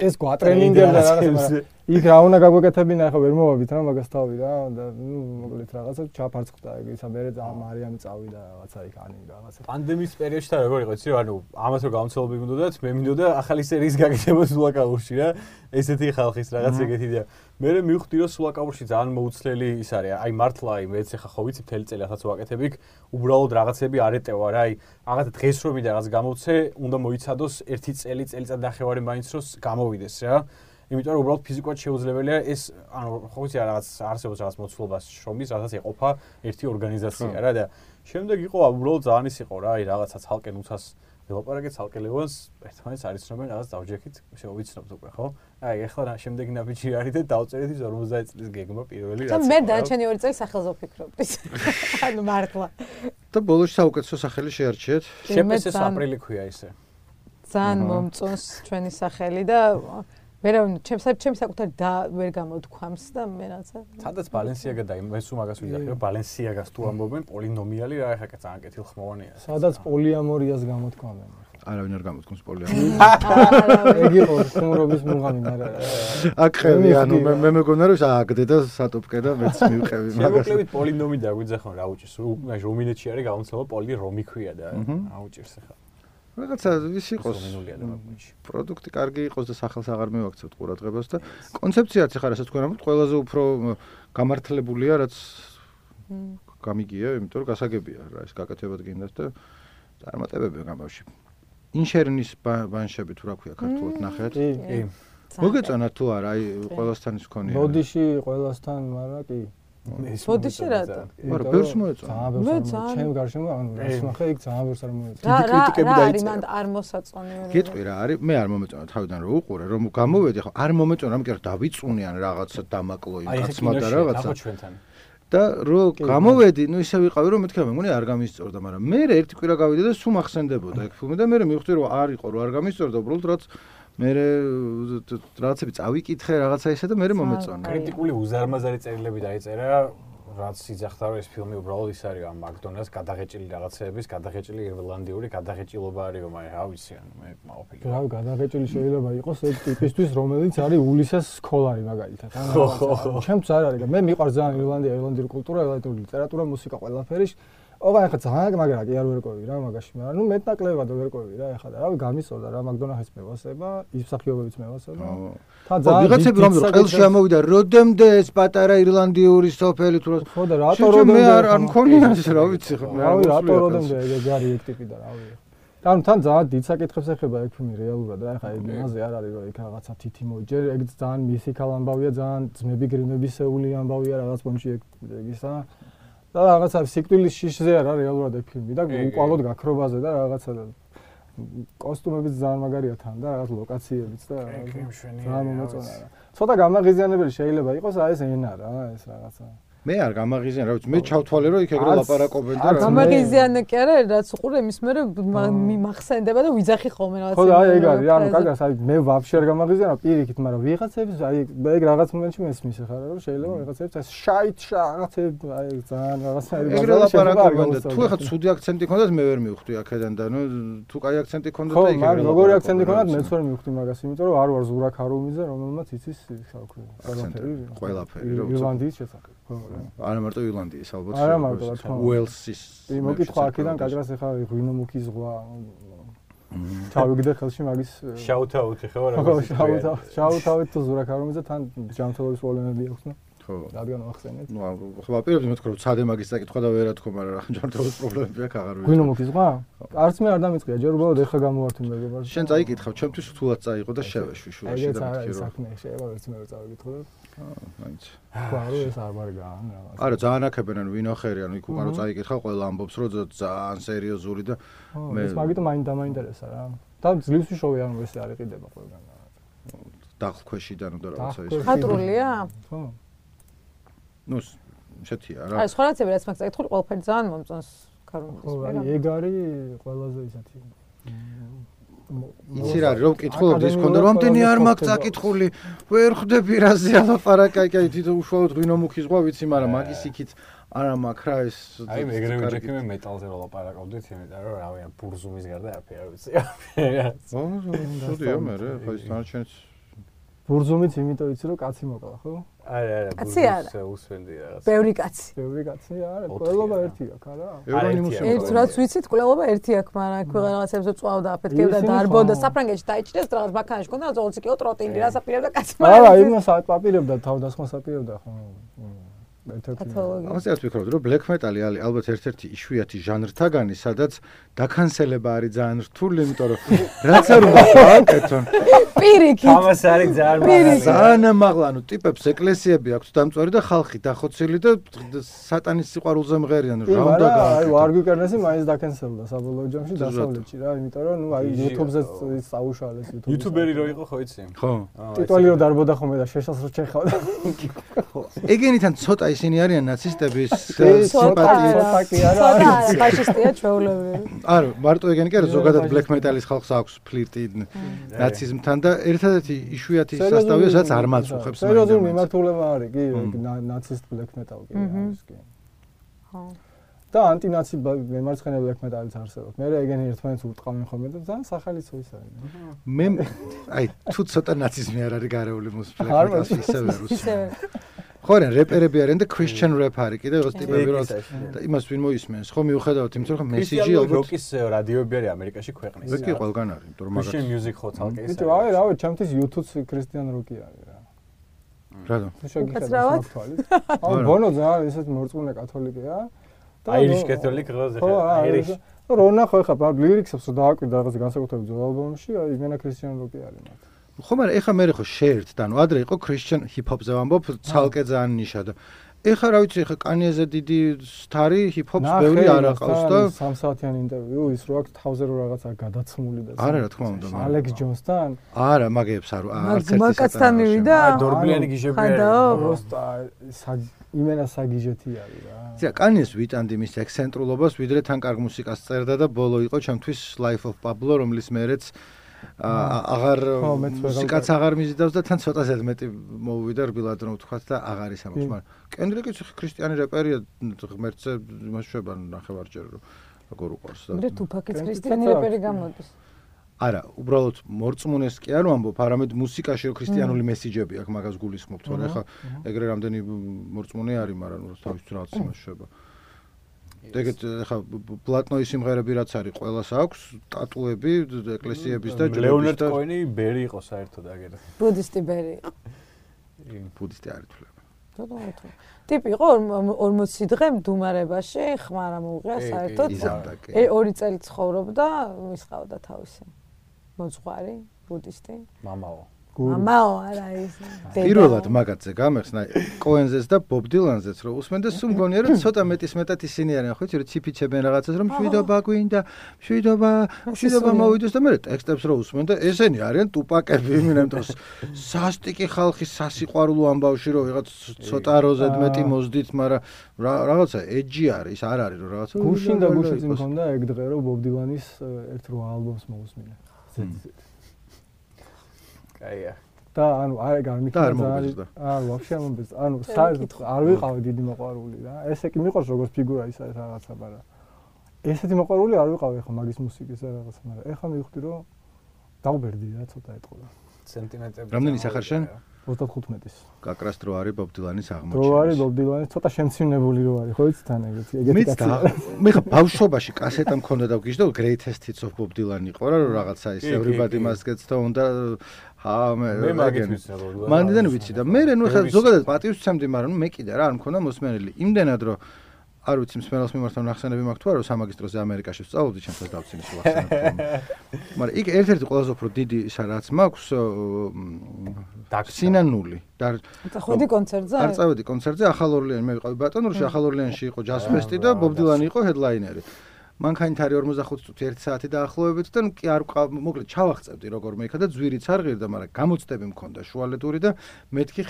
ეს გვატრენინგებდა რაღაცა იქ რა უნდა გაგვეკეთებინა ახლა ვერ მოვაბით რა მაგას თავი რა და ნუ მოკლედ რაღაცა ჩაფარცხდა ეგ ისა მე მარიამი წავიდა რაღაცა იქ ანი რაღაცა პანდემიის პერიოდში და როგორ იყო იცი რა ანუ ამას რო გამოცდილები მინდოდათ მე მინდოდა ახალი სერიის გაკეთება სულაკაურში რა ესეთი ხალხის რაღაც ეგეთი იდეა მე მივხვდი რომ სულაკაურში ძალიან მოუცლელი ის არის აი მართლა აი მეც ახლა ხო ვიცი მთელი წელი ახაც ვაკეთებ იქ უბრალოდ რაღაცები არ ეტევა რა აი რაღაცა დღეს რომ ვიდა რაღაც გამოვცე უნდა მოიცადოს 1 წელიწად-ნახევარი მაინც რომ გამოვიდეს რა იმიტომ რომ უბრალოდ ფიზიკურად შეუძლებელია ეს ანუ ხო ვიცი რაღაც არსებობს რაღაც მოცულობას შრომის რასაც ეყოფა ერთი ორგანიზაცია რა და შემდეგ იყო უბრალოდ ძალიან ის იყო რა აი რაღაცა ცალკე ნუცას ველაპარაკეთ ცალკე ლევანს ერთმანეთს არიცნობენ რაღაც დავჯექით შევიცნობთ უკვე ხო აი ახლა შემდეგი ნაბიჯი არის და დავწერეთ 50 წლის გეგმა პირველი რაც მე დანარჩენი 2 წელი სახელზე ვფიქრობდი ანუ მართლა და ბოლოს საუკეთესო სახელი შეარჩიეთ შეპესეს აპრილი ქვია ისე ძალიან მომწონს ჩვენი სახელი და ვერავინ ჩემს საკუთარი და ვერ გამოვთქვამს და მე რაცა სადაც ბალენსიაგა და მე სულ მაგას ვიძახი ბალენსიაგას თუ ამბობენ პოლინომიალი რა ეხა ძალიან კეთილხმოვანია სადაც პოლიამორიას გამოთქვამენ არავინ არ გამოთქვამს პოლიამორიას ეგ იყო ხუმრობის მუღამი მაგრამ აკრები ანუ მე მეგონა რომ ააგდე და სატოპკე და მეც მივყევი მაგას შემოკლებით პოლინომი და გვიძახონ რა უჭირს რუმინეთში არის გამოცდილება პოლი რომი ქვია და აუჭირს ახლა რაღაცა ის იყოს პროდუქტი კარგი იყოს და სახელს აღარ მივაქცევთ ყურადღებას და კონცეფციაც ახლა რასაც თქვენ ამბობთ ყველაზე უფრო გამართლებულია რაც გამიგია იმიტომ რომ გასაგებია რა ეს გაკეთებად გინდათ და წარმატებებია გამავში ინშერნის ბანშები თუ რა ქვია ქართულად ნახეთ კი მოგეწონათ თუ არა აი ყველასთან ის ქონია ბოდიში ყველასთან მაგრამ კი ბოდიში რატო არა ბევრს მოეწონა ჩემ გარშემო ანუ ეს ნახე იქ ძალიან ბევრს არ მოეწონა დიდი კრიტიკები დაიწერა მან არ მოსაწონი გეტყვი რა არის მე არ მომეწონა თავიდან რომ უყურე რომ გამოვედი ხო არ მომეწონა რომ კი დავიწუნიან რაღაცა დამაკლო იმ კაცმა და რაღაცა და რო გამოვედი ნუ ისე ვიყავი რომ მეთქე მე მგონი არ გამისწორდა მაგრამ მე ერთი კვირა გავიდა და სულ მახსენდებოდა ეგ ფილმი და მე მივხვდი რომ არ იყო რომ არ გამისწორდა უბრალოდ რაც მე რაღაცები წავიკითხე რაღაცა ისე და მე მომეწონა კრიტიკული უზარმაზარი წერილები დაიწერა რაც იძახდა რომ ეს ფილმი უბრალოდ ის არის ამ მაკდონალდს გადაღეჭილი რაღაცეების გადაღეჭილი ირლანდიური გადაღეჭილობა არის რომ აი რა ვიცი ანუ მე მაოფილი რა გადაღეჭილი შეიძლება იყოს ეგ ტიპისთვის რომელიც არის ულისეს სკოლარი მაგალითად ანუ ჩემს არ არის მე მიყვარს ძალიან ირლანდიური კულტურა ირლანდიური ლიტერატურა მუსიკა ყველაფერი ოღონდ ახლა ძალიან მაგრამ კი არ ვერკვევი რა მაგაში მაგრამ ნუ მეტნაკლებად ვერკვევი რა ახლა და რავი გამისწორდა რა მაკდონალდს მევასება ის მსახიობებიც მევასება თან ძალიან ვიღაცები რომ ყელში ამოვიდა როდემდე ეს პატარა ირლანდიური სოფელი თუ ხო და რატო როდემდე მე არ მქონია ეს რა ვიცი ხო რავი რატო როდემდე ეგ არის ეგ ტიპი და რავი თან ძალიან დიდ საკითხებს ეხება ეგ ფილმი რეალურად რა ახლა ეგ იმაზე არ არის რომ იქ რაღაცა თითი მოიჯერ ეგ ძალიან მისიკალ ამბავია ძალიან ძმები გრიმებისეული ამბავია რაღაც პონჩი ეგ ისა და რაღაცა სიკვდილის შიშზე არა რეალურად ეგ ფილმი და უყალოდ გაქრობაზე და რაღაცა კოსტუმებიც ძალიან მაგარია თან და რაღაც ლოკაციებიც და ძალიან მომეწონა რა ცოტა გამაღიზიანებელი შეიძლება იყოს აი ეს ენა რა ეს რაღაცა მე არ გამაღიზიან რა ვიცი მე ჩავთვალე რომ იქ ეგრე ლაპარაკობენ და რა გამაღიზიანე კი არა რაც უყურე იმის მერე მიმახსენდება და ვიძახი ხოლმე რაღაცა ხო და აი ეგ არის ანუ კაგას აი მე ვაფშე არ გამაღიზიანო პირიქით მაგრამ ვიღაცებს აი ეგ რაღაც მომენტში მესმის ხარ რომ შეიძლება ვიღაცებს ეს შაით რაღაცები აი ძალიან რაღაცა ეგრე ლაპარაკობენ და თუ ეხა ცუდი აქცენტი ქონდათ მე ვერ მივხვდი აქედან და ნუ თუ კაი აქცენტი ქონდათ და იქ ეგრე როგორი აქცენტი ქონდათ მეც ვერ მივხვდი მაგას იმიტომ რომ არ ვარ ზურაქ არუმიძე რომელმაც იცის ყველაფერი რომ ირლანდიის შესახებ ხო არა მარტო ირლანდიის ალბათ არა მარტო რა თქმა უნდა უელსის მოკითხვა აქედან კადრას ახლა ღვინო მუქი ზღვა ჩავიგდე ხელში მაგის შაუთაუთი ხო რა შაუთაუთი თუ ზურაქ არუმიძე თან ჯანმრთელობის პრობლემები აქვს და ხო. რადგან ვახსენეთ? ნუ ხო აპირებდი მეთქვა რომ ცადე მაგის საკითხვა და ვერა თქო, მაგრამ რა ჯანმრთელობის პრობლემები აქვს აღარ ვიცი. გვინო მოგიზღვა? არც მე არ დამიწყია, ჯერ უბრალოდ ეხა გამოვართი მეგობარს. შენ წაიკითხავ, ჩემთვის რთულად წაიღო და შევეშვი შუაში და მეთქი რომ. საქმე შეება ერთ მე წავიკითხო. მაინც. ყარო ეს არ მარგან რაღაც. არა, ძალიან აქებენ ანუ ვინოხერი, ანუ იქ უკან რო წაიკითხავ, ყველა ამბობს რომ ძალიან სერიოზული და მე ეს მაგით დამაინტერესა რა. და ძლივს ვიშოვე ანუ ეს არ იყიდება ყველგან. დახლქვეშიდან და რაღაცა ის. ხატრულია? ხო. ნუ შეთია რა. აი სხვა რაღაცები რაც მაგ წაიკითხული ყველაფერი ძალიან მომწონს ქარუნგის. ხო, აი ეგ არის ყველაზე ისეთი. იცი რა რომ კითხულობდი ის ქონდა რომ ამდენი არ მაგ წაკითხული ვერ ხვდები რაზე ალაპარაკი აი თვითონ უშუალოდ ღვინო მუქი ზღვა ვიცი მაგრამ მაგის იქით არა მაგ რა ეს აი მეგრები ჯექი მე მეტალზე ვლაპარაკობდით იმიტომ რომ რავი ან ბურზუმის გარდა არაფერი არ ვიცი. შოდია მე ხო ის თანაჩენს ბურზუმიც იმიტომ იცი რომ კაცი მოკლა ხო? არა კაცი არა. უსვენდი რაღაც. ბევრი კაცი. ბევრი კაცი არა, ყველობა ერთი აქვს არა? ევრონიმუსი. ერთ რაც ვიცით, ყველობა ერთი აქვს, მაგრამ აქ რაღაცებზე წვავდა, აფეთქებდა, დარბოდა, საფრანგეთში დაიჭირეს, რაღაც ბაქანში კონდა, ზოლცი კიო ტროტინგი, რას აპირებდა კაცი მაგრამ. არა, იმას აპირებდა, თავდასხმას აპირებდა ხო. ამაზე არ ვფიქრობდი რომ black metal-ი არის ალბათ ერთ-ერთი იშვიათი ჟანრთაგანი, სადაც დაკანსელება არის ძალიან რთული, იმიტომ რომ რაც არ უნდა აკეთონ. პირიქით. ამას არის ძალიან მაღალი. ძალიან მაღლა, ანუ ტიპებს ეკლესიები აქვს დამწვარი და ხალხი დახოცილი და სატანის სიყვარულზე მღერიან, რა უნდა გააკეთონ. აი, არ გვიკერნესი მაინც დაკანსელდა საბოლოო ჯამში დასავლეთში რა, იმიტომ რომ ნუ აი YouTube-ზე წაუშალეს YouTube-ზე. YouTube-ერი რო იყო ხო იცი? ხო. ტიტვალი რო დარბოდა ხოლმე და შეშას რო ჩეხავდა. ხო. ეგენიდან ცოტა ისინი არიან ნაცისტების სიმპათიის. ცოტა კი არა. ცოტა ფაშისტია ჩვეულებრივი. არა, მარტო ეგენი კი არა, ზოგადად black metal-ის ხალხს აქვს ფლირტი ნაციზმთან და ერთადერთი იშვიათი სასტავია, სადაც არ მაწუხებს. სერიოზული მიმართულება არის კი, ნაცისტ black metal კი არის კი. ხო. და ანტინაცი მემარცხენე black metal-იც არსებობს. მე ეგენი ერთმანეთს უტყავენ ხოლმე და ძალიან სახალისო ის არის. მე აი თუ ცოტა ნაციზმი არ არის გარეული black metal-ში ისევე რუსი. ხო არა, რეპერები არიან და Christian rap არის კიდე ეს ტიპები რა და იმას ვინ მოისმენს. ხო მიუხედავად იმისა, რომ მესიჯი ალბათ როკის რადიოები არის ამერიკაში ქვეყნის. როკი ყველგან არის, იმიტომ რომ Christian music ხო თალკე ის. ბიჭო, აი რა ვიცი, ჩემთვის YouTube-ს Christian როკი არის რა. რატო? უკაცრავად? აუ ბონო ძალიან ისეთ მორწმუნე კათოლიკეა. აირიშ კათოლიკ ღოზე ხა აირიშ. რონა ხო ხა ლირიქსებს რომ დააკვირდა რაღაც განსაკუთრებით ძველ ალბომში, აი იმენა Christian როკი არის მათ. ხო მაგრამ ეხა მე ხო შეერთდა, ანუ ადრე იყო Christian hip-hop-ზე ვამბობ, ცალკე ძალიან ნიშა და ეხა რა ვიცი, ეხა კანიეზე დიდი სტარი hip-hop-ს ბევრი არ აყავს და 3 საათიანი ინტერვიუ ის რო აქვს თავზე რო რაღაცა გადაცმული და არა რა თქმა უნდა ალექს ჯონსთან არა მაგებს არ არც ერთი მაგასთან მივიდა დორბლიანი გიჟები არის просто იმენა საგიჟეთი არის რა ზია კანიეს ვიტანდი მის ექსცენტრულობას ვიდრე თან კარგ მუსიკას წერდა და ბოლო იყო ჩემთვის Life of Pablo რომლის მერეც აღარ მუსიკაც აღარ მიზიდავს და თან ცოტა ზედმეტი მოვიდა რბილად რომ ვთქვათ და აღარ ისამობს მაგრამ კენდრიკიც ქრისტიანი რეპერია ღმერთზე იმას შვება ნახევარჯერ რომ როგორ უყურს და მე თუფაკიც ქრისტიანი რეპერი გამოდის არა უბრალოდ მორწმუნეს კი არ ვამბობ არამედ მუსიკაში რომ ქრისტიანული მესიჯები აქვს მაგას გულისხმობ თორე ხა ეგრე რამდენი მორწმუნე არის მაგრამ თავისთვის რაღაც იმას შვება ეგეთ ხა პლატნოის სიმღერები რაც არის ყველას აქვს ტატუები ეკლესიების და ლეონარდ კოენი ბერი იყო საერთოდ აგერ ბუდისტი ბერი იყო ბუდისტი არ ითვლება ტიპი იყო 40 დღე მდუმარებაში ხმარა მოუღია საერთოდ 2 წელი ცხოვრობდა ის ყავდა თავისი მოძღვარი ბუდისტი მამაო მამაო არა ის პირველად მაგათზე გამეხსნა კოენზეს და ბობ დილანზეც რომ უსმენ და სულ მგონია რომ ცოტა მეტის მეტად ისინი არიან ხო იცი რომ ციფიჩებენ რაღაცას რომ შვიდობა გვინდა შვიდობა მოვიდეს და მე ტექსტებს რომ უსმენ და ესენი არიან ტუპაკები იმენა დროს სასტიკი ხალხი სასიყვარულო ამბავში რომ ვიღაც ცოტა როზეთ მეტი მოსდით მაგრამ რაღაცა ეჯი არის არ არის რომ რაღაცა გუშინ და გუშინ მქონდა ეგ დღე რომ ბობ დილანის ერთ რო ალბომს მოусმინე აია და ანუ არ გამიქნა ვაფშე ამბეს ანუ საერთოდ არ ვიყავი დიდი მოყვარული რა ესე კი მიყვარს როგორც ფიგურა ის არის რაღაცა მაგრამ ესეთი მოყვარული არ ვიყავი ხა მაგის მუსიკის და რაღაცა მაგრამ ეხლა მივხვდი რომ დავბერდი რა ცოტა ეტყობა სენტიმენტები რამდენი სახარ შენ 35-ის. გაკრას დრო არის ბობ დილანის აღმოჩენა. დრო არის ბობ დილანის, ცოტა შემცინებული რო არის, ხო იცით თან ეგეთი კაცი. მე ხა ბავშვობაში კასეტა მქონდა და ვგიჟდა Greatest Hits of Bob Dylan იყო რა რაღაცა ის Everybody Must Get Stoned და მე მაგით ვიცი რა. მანდიდან ვიცი და მე ნუ ხა ზოგადად პატივს ვცემდი, მაგრამ მე კიდე რა არ მქონდა მოსმენელი. იმდენად რომ არ ვიცი მსმენელს მიმართავ ნახსენები მაქვს თუ არა, რომ სამაგისტროზე ამერიკაში ვსწავლობდი, ჩემსაც დავცინის ვახსენებ. მაგრამ იქ ერთ-ერთი ყველაზე უფრო დიდი ისა რაც მაქვს სინანული და ходи კონცერტზე? არ წავედი კონცერტზე, ახალ ორლეანი მე ვიყავი ბატონურში, ახალ ორლეანში იყო ჯაზ ფესტი და ბობ დილანი იყო ჰედლაინერი. მანქანით არის 45 წუთი 1 საათი დაახლოებით და კი არ მოკლედ ჩავახწევდი როგორმე იქა და ძვირიც არ ღირდა, მაგრამ გამოცდები მქონდა შუალედური და მეთქი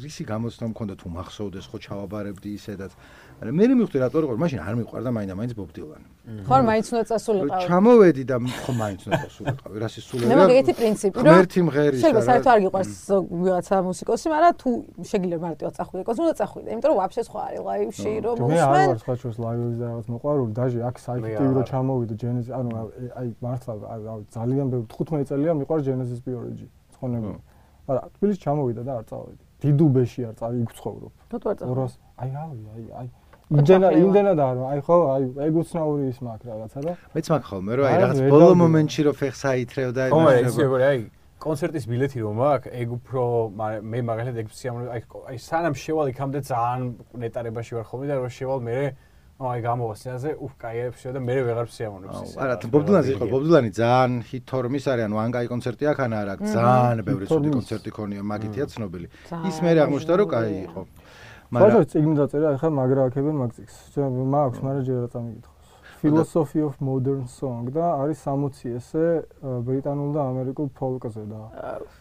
რისი გამოცდა მქონდა თუ მახსოვდეს ხო ჩავაბარებდი ისედაც. მაგრამ მე მივხვდი რატო იყო, მაშინ არ მიყვარდა მაინც ბობ დილანი. ხო, მაინც უნდა წასულიყავი. ჩამოვედი და ხო მაინც უნდა წასულიყავი, რა სისულელია. მე მაგეთი პრინციპი რომ ღმერთი მღერის შეიძლება საერთოდ არ გიყვარს ვიღაცა მუსიკოსი, მაგრამ თუ შეგიძლია მარტივად წახვიდე, უნდა წახვიდე, იმიტომ რომ ვაფშე სხვა არის ლაივში რომ მე არ ვარ სხვა ჩვენს ლაივებზე რაღაც მოყვარული, დაჟე აქ საიტი რო ჩამოვიდე Genesis, ანუ აი მართლა ძალიან ბევრი 15 წელია მიყვარს Genesis Biology ცხონებული. მაგრამ თბილისში ჩამოვიდა და არ წავედი. დიდუბეში არ წავი იქ ვცხოვრობ. რატო არ წავედი? აი იმდენად არ აი ხო აი ეგ უცნაური ის მაქვს რაღაცა და მეც მაქვს ხოლმე რომ აი რაღაც ბოლო მომენტში რომ ფეხს აითრევ და აი კონცერტის ბილეთი რომ მაქვს ეგ უფრო მე მაგალითად ეგ სიამოვნებაა აი სანამ შევალ იქამდე ძალიან ნეტარებაში ვარ ხოლმე და რომ შევალ მე აი გამოვასწრაზე კაიებში და მე ვეღარ სიამოვნებს ისე არა ბობ დილანი იყო ბობ დილანი ძალიან ჰიტ-თორმის არის ანუ ანგაი კონცერტი აქ ან არა ძალიან ბევრი ცუდი კონცერტი ქონია მაგითია ცნობილი ის მე აღმოჩნდა რომ კაი იყო მაგრამ წიგნი დაწერა ახლა მაგრა აქებენ მაგ წიგს მაქვს მაგრამ ჯერ რა წამიკითხოს Philosophy of Modern Song და არის 60 ესე ბრიტანულ და ამერიკულ ფოლკზე და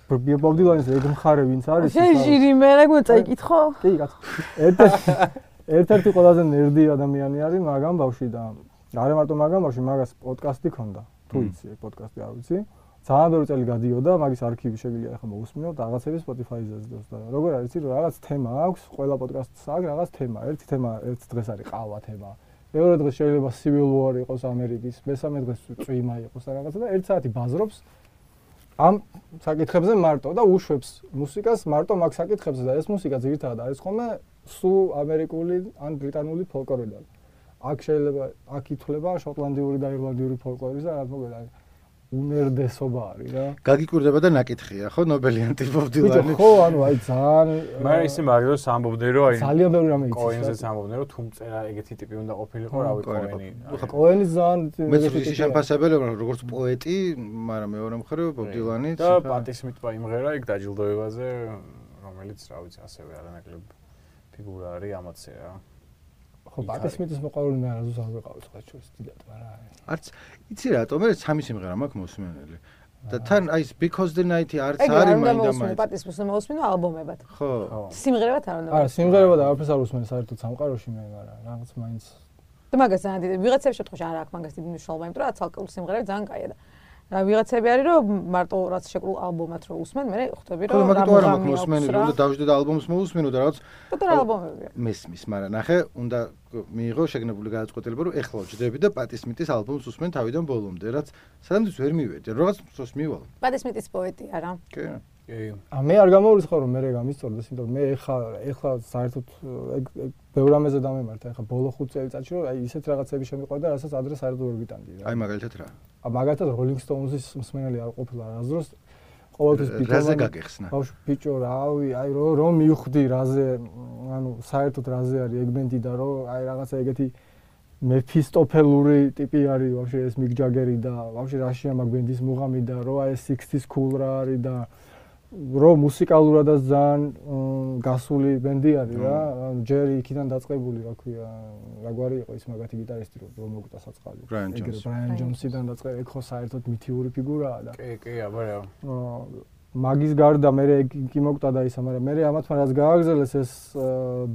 ბობ დილანის ეგ მხარე ვინც არის შეჟირი მე რა გვეწაიკითხო კი კაცო ერთ-ერთი ყველაზე ნერდი ადამიანი არის მაგამ ბავშვი და არა მარტო მაგამ ბავშვი მაგას პოდკასტი ქონდა თუ იცი ეგ პოდკასტი არ ვიცი ძალიან ბევრი წელი გადიოდა მაგის არქივი შეგვიძლია ახლა მოვუსმინო და რაღაცები Spotify-ზე ზრდოს და როგორ არის იცი რომ რაღაც თემა აქვს ყველა პოდკასტს აქვს რაღაც თემა ერთი თემა ერთ დღეს არის ყავა თემა მეორე დღეს შეიძლება Civil War იყოს ამერიკის მესამე დღეს წვიმა იყოს რაღაცა და 1 საათი ბაზრობს ამ საკითხებზე მარტო და უშვებს მუსიკას მარტო მაგ საკითხებზე და ეს მუსიკა ძირითადად არის ხოლმე სულ ამერიკული ან ბრიტანული ფოლკლორიდან აქ შეიძლება აქ ითვლება შოტლანდიური და ირლანდიური ფოლკლორის და რა თქმა უნდა უმერდესობა არის რა. გაგიკვირდება და ნაკითხია, ხო, ნობელიანტი ბობ დილანი. ხო, ანუ აი ძალიან მაგრამ ისე მაგალითად სამბობდნენ რომ აი ძალიან ბევრი რამე იცის. კოენზე სამბობდნენ რომ თუმცა ეგეთი ტიპი უნდა ყოფილიყო, რავი, კოენი. კოენი ძალიან მეც ის შემფასებელი ვარ, როგორც პოეტი, მაგრამ მეორე მხრივ ბობ დილანი და პატისმიტ იმღერა იქ დაჯილდოებაზე, რომელიც რა ვიცი, ასევე არანაკლებ ფიგურა არის ამაცე რა. ხო, პატისმიტის მოყოლი მე არასდროს არ ვიყავი სხვა ჩვენს დიდად, მაგრამ არც იცი რატო მე სამი სიმღერა მაქვს მოსმენელი და თან აი Because the Night არც არის მაინდა-მაინც პატისმიტს მოусმინო ალბომებად ხო სიმღერებად არ უნდა არა სიმღერებად არაფერს არ უსმენ საერთოდ სამყაროში მე მაგრამ რაღაც მაინც და მაგას ძალიან დიდი ვიღაცების შემთხვევაში არ აქვს მაგას დიდი მნიშვნელობა იმიტომ რომ ცალკეული სიმღერები ძალიან კაია და რა ვიღაცები არის რომ მარტო რაც შეკრულ ალბომად რო უსმენ მე ხვდები რომ რა მაგიტო არ მაქვს მოსმენელი უნდა დავждე და ალბომს მოусმინო და რაღაც პატარა ალბომებია მესმის მაგრამ ნახე უნდა მიიღო შეგნებული გადაწყვეტილება რომ ეხლა ვჯდები და პატისმიტის ალბომს უსმენ თავიდან ბოლომდე რაც სადამდე ვერ მივედი რაღაც დროს მივალ პატისმიტის პოეტი არა კი მე არ გამოვრიცხავ რომ მე გამისწორდეს იმიტომ რომ მე ეხლა საერთოდ ეგ ბევრ რამეზე დამემართა ეხლა ბოლო 5 წელიწადში რომ აი ისეთ რაღაცები შემიყვარდა რასაც ადრე საერთოდ ვერ ვიტანდი რა აი მაგალითად რა მაგალითად Rolling Stones-ის მსმენელი არ ყოფილა რაზდროს ყოველთვის რაზე გაგეხსნა ბავშვ ბიჭო რავი აი რომ მივხვდი რაზე ანუ საერთოდ რაზე არის ეგ ბენდი და რომ აი რაღაცა ეგეთი მეფისტოფელური ტიპი არის ვაფშე ეს მიკ ჯაგერი და ვაფშე რაშია მაგ ბენდის მუღამი და რომ აი 60s cool რა არის და რომ მუსიკალურადაც ძალიან გასული ბენდი არის რა ჯერი იქიდან დაწყებული რა ქვია რა გვარი იყო ის მაგათი გიტარისტი რომ მოგუტა საწყალი ბრაიან ჯონსიდან დაწყებული ეგ ხო საერთოდ მითიური ფიგურაა და კი აბა მაგის გარდა მე კი მოგუტა და ისა მაგრამ მე ამათმა რაც გააგრძელეს ეს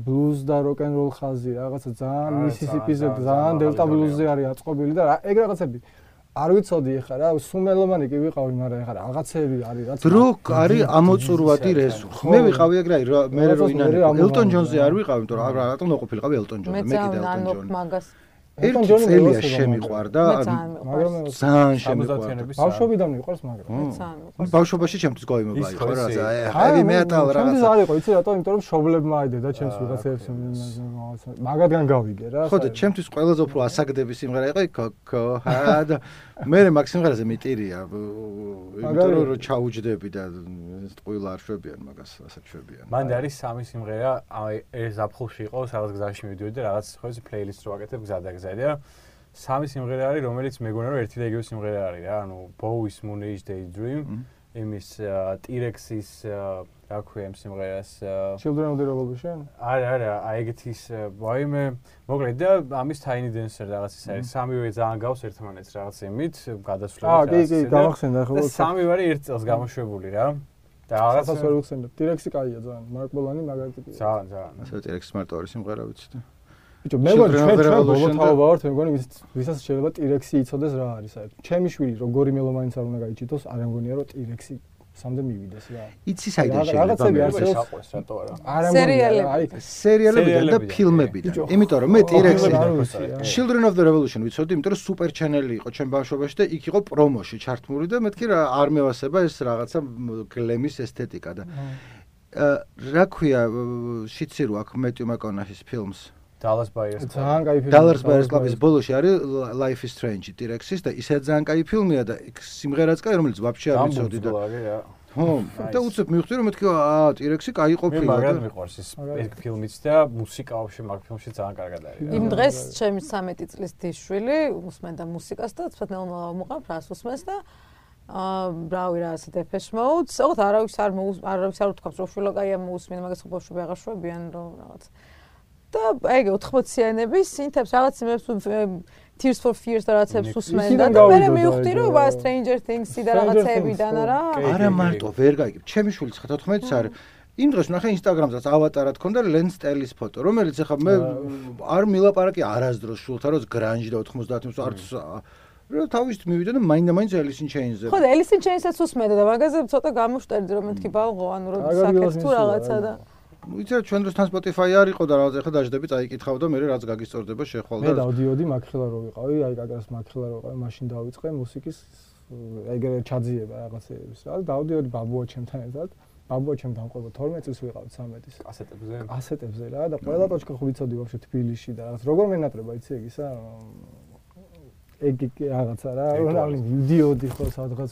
ბლუზ და როკ-ენ-როლ ხაზი რაღაცა ძალიან მისისიპიზე ძალიან დელტა ბლუზზე არის აწყობილი და ეგ რაღაცები არ ვიცოდი ეხლა რა სუმელომანი კი ვიყავი მაგრამ ეხლა რაღაცები არის რაც დროკ არის ამოწურვადი რესურსი მე ვიყავი ეგ რა მე რო ინანე ელტონ ჯონზე არ ვიყავი იმიტომ რომ რატომ ნოყოფილიყავი ელტონ ჯონზე მე კიდე ელტონ ჯონი მაგას ერთი წელია შემიყვარდა, მაგრამ ძალიან შემიყვარდა. ბავშვობიდან მიყვარს, მაგრამ ბავშვობაში ჩემთვის გაიმობა იყო რა, heavy metal რა. ჩემთვის არ იყო, იცი რატო? იმიტომ რომ შობლებმა აიდე და ჩემს ვიღაცებს მაგადგან გავიგე რა. ხო და ჩემთვის ყველაზე უფრო ასაგდები სიმღერა იყო ქოქოჰა და მე მაგ სიმღერაზე მიტირია, იმიტომ რომ ჩაუჯდები და ტყუილა არ შვებიან მაგას, ასეთ შვებიან. მან არის სამი სიმღერა, აი ეს ზაფხულში იყო, სადაც გზაში მივიდოდი და რაღაც ხო ეს პლეილისტ რო აკეთებ გზადაგზადი და სამი სიმღერა არის, რომელიც მეგონა რომ ერთი და იგივე სიმღერა არის რა, ანუ Bowie-ის Moon Age Daydream, იმის T-Rex-ის რა ქვია იმ სიმღერას Children of the Revolution? არა, აი ეგეთის ვაიმე, მოკლედ და ამის Tiny Dancer რაღაც ის არის, სამივე ძალიან გავს ერთმანეთს რაღაც იმით, გადასვლებით. კი, გამახსენდა ხო. სამივე ერთ წელს გამოშვებული რა. და რაღაცა ვერ ვხსენებ. T-Rex-ი კაია ძალიან, Mark Bolan-ი მაგარი ტიპია. ძალიან. ასე T-Rex-ის მარტო არის სიმღერა ვიცი და ბიჭო, მე მგონი ჩვენ ბოლოთავობა ვართ, მე მგონი ვისაც შეიძლება T-Rex-ი იცოდეს რა არის საერთოდ. ჩემი შვილი როგორი მელომანიც არ უნდა გაიჭიტოს, არ მგონია რომ T-Rex-ი სამდე მივიდეს რა. იცი საიდან შეიძლება მეშაყვეს რატო არა? სერიალებიდან და ფილმებიდან. იმიტომ რომ მე T-Rex-ი Children of the Revolution ვიცოდი, იმიტომ რომ Super Channel-ი იყო ჩემ ბავშვობაში და იქ იყო პრომოში ჩართმული და მეთქი რა არ მევასება ეს რაღაცა გლემის ესთეტიკა და რა ქვია შიცი რო აქ მეტიუ მაკონაჰის ფილმს Dallas Buyers Club. ძალიან კაი ფილმი. Dallas Buyers Club-ის ბოლოში არის Life is Strange T-Rex-ის და ისე ძალიან კაი ფილმია და სიმღერაც კაი, რომელიც ვაფშე არ ვიცოდი და ხო, და უცებ მივხვდი რომ მეთქი T-Rex-ი კაი ყოფილა. მე მაგად მიყვარს ეს ფილმიც და მუსიკა ვაფშე მაგ ფილმში ძალიან კარგად არის. იმ დღეს ჩემი 13 წლის დიშვილი უსმენდა მუსიკას და ცოტა ნელ-ნელა მოყავ რას უსმენს და ბრავი რა ასე Depeche Mode, ოღონდ არავის არ უთქვამს რომ შვილო კაია მოусმენ, მაგას ხო ბავშვები აღარ შვებიან რომ რაღაც და ეგ 80-იანების სინთებს რაღაც იმებს Tears for Fears და რაღაცებს უსმენდა და მე მივხვდი რომ Stranger Things-ი და რაღაცებიდან არა მარტო ვერ გაიგებ. ჩემი შვილიც ხა 14-ს არის. იმ დღეს ნახე Instagram-ზე ავატარად ქონდა Lance Stellis ფოტო, რომელიც ახლა მე არ მილაპარაკი არასდროს შულთან რომ grunge და 90-იანს არც რა თავისით მივიდა და მაინდა-მაინც Alice in Chains-ზე. ხო და Alice in Chains-ს უსმენდა და მაგაზე ცოტა გამოშტერდი რომ მეთქი ბალღო ანუ რომ საკეთს თუ რაღაცა და ვიცი ჩვენ დროსთან Spotify არ იყო და რაღაც ახლა დაждები წაიკითხავ და მე რაც გაგისწორდება შეხვალ და მე დავდიოდი მაგხელა რო ვიყავი, აი კაკას მაგხელა რო ვიყავი, მაშინ დავიწყე მუსიკის ეგრე ჩაძიება რაღაცეების რა და დავდიოდი ბაბუა ჩემთან ერთად. ბაბუა ჩემთან ყובה 12 წელს ვიყავით 13-ის. კასეტებზე რა და ყველა ტოჩკა ხო ვიცოდი ვაფშე თბილისში და რაღაც როგორ მენატრება იცი ეგ ისა ეგ რაღაცა რა რომ ვიდიოდი ხო სადღაც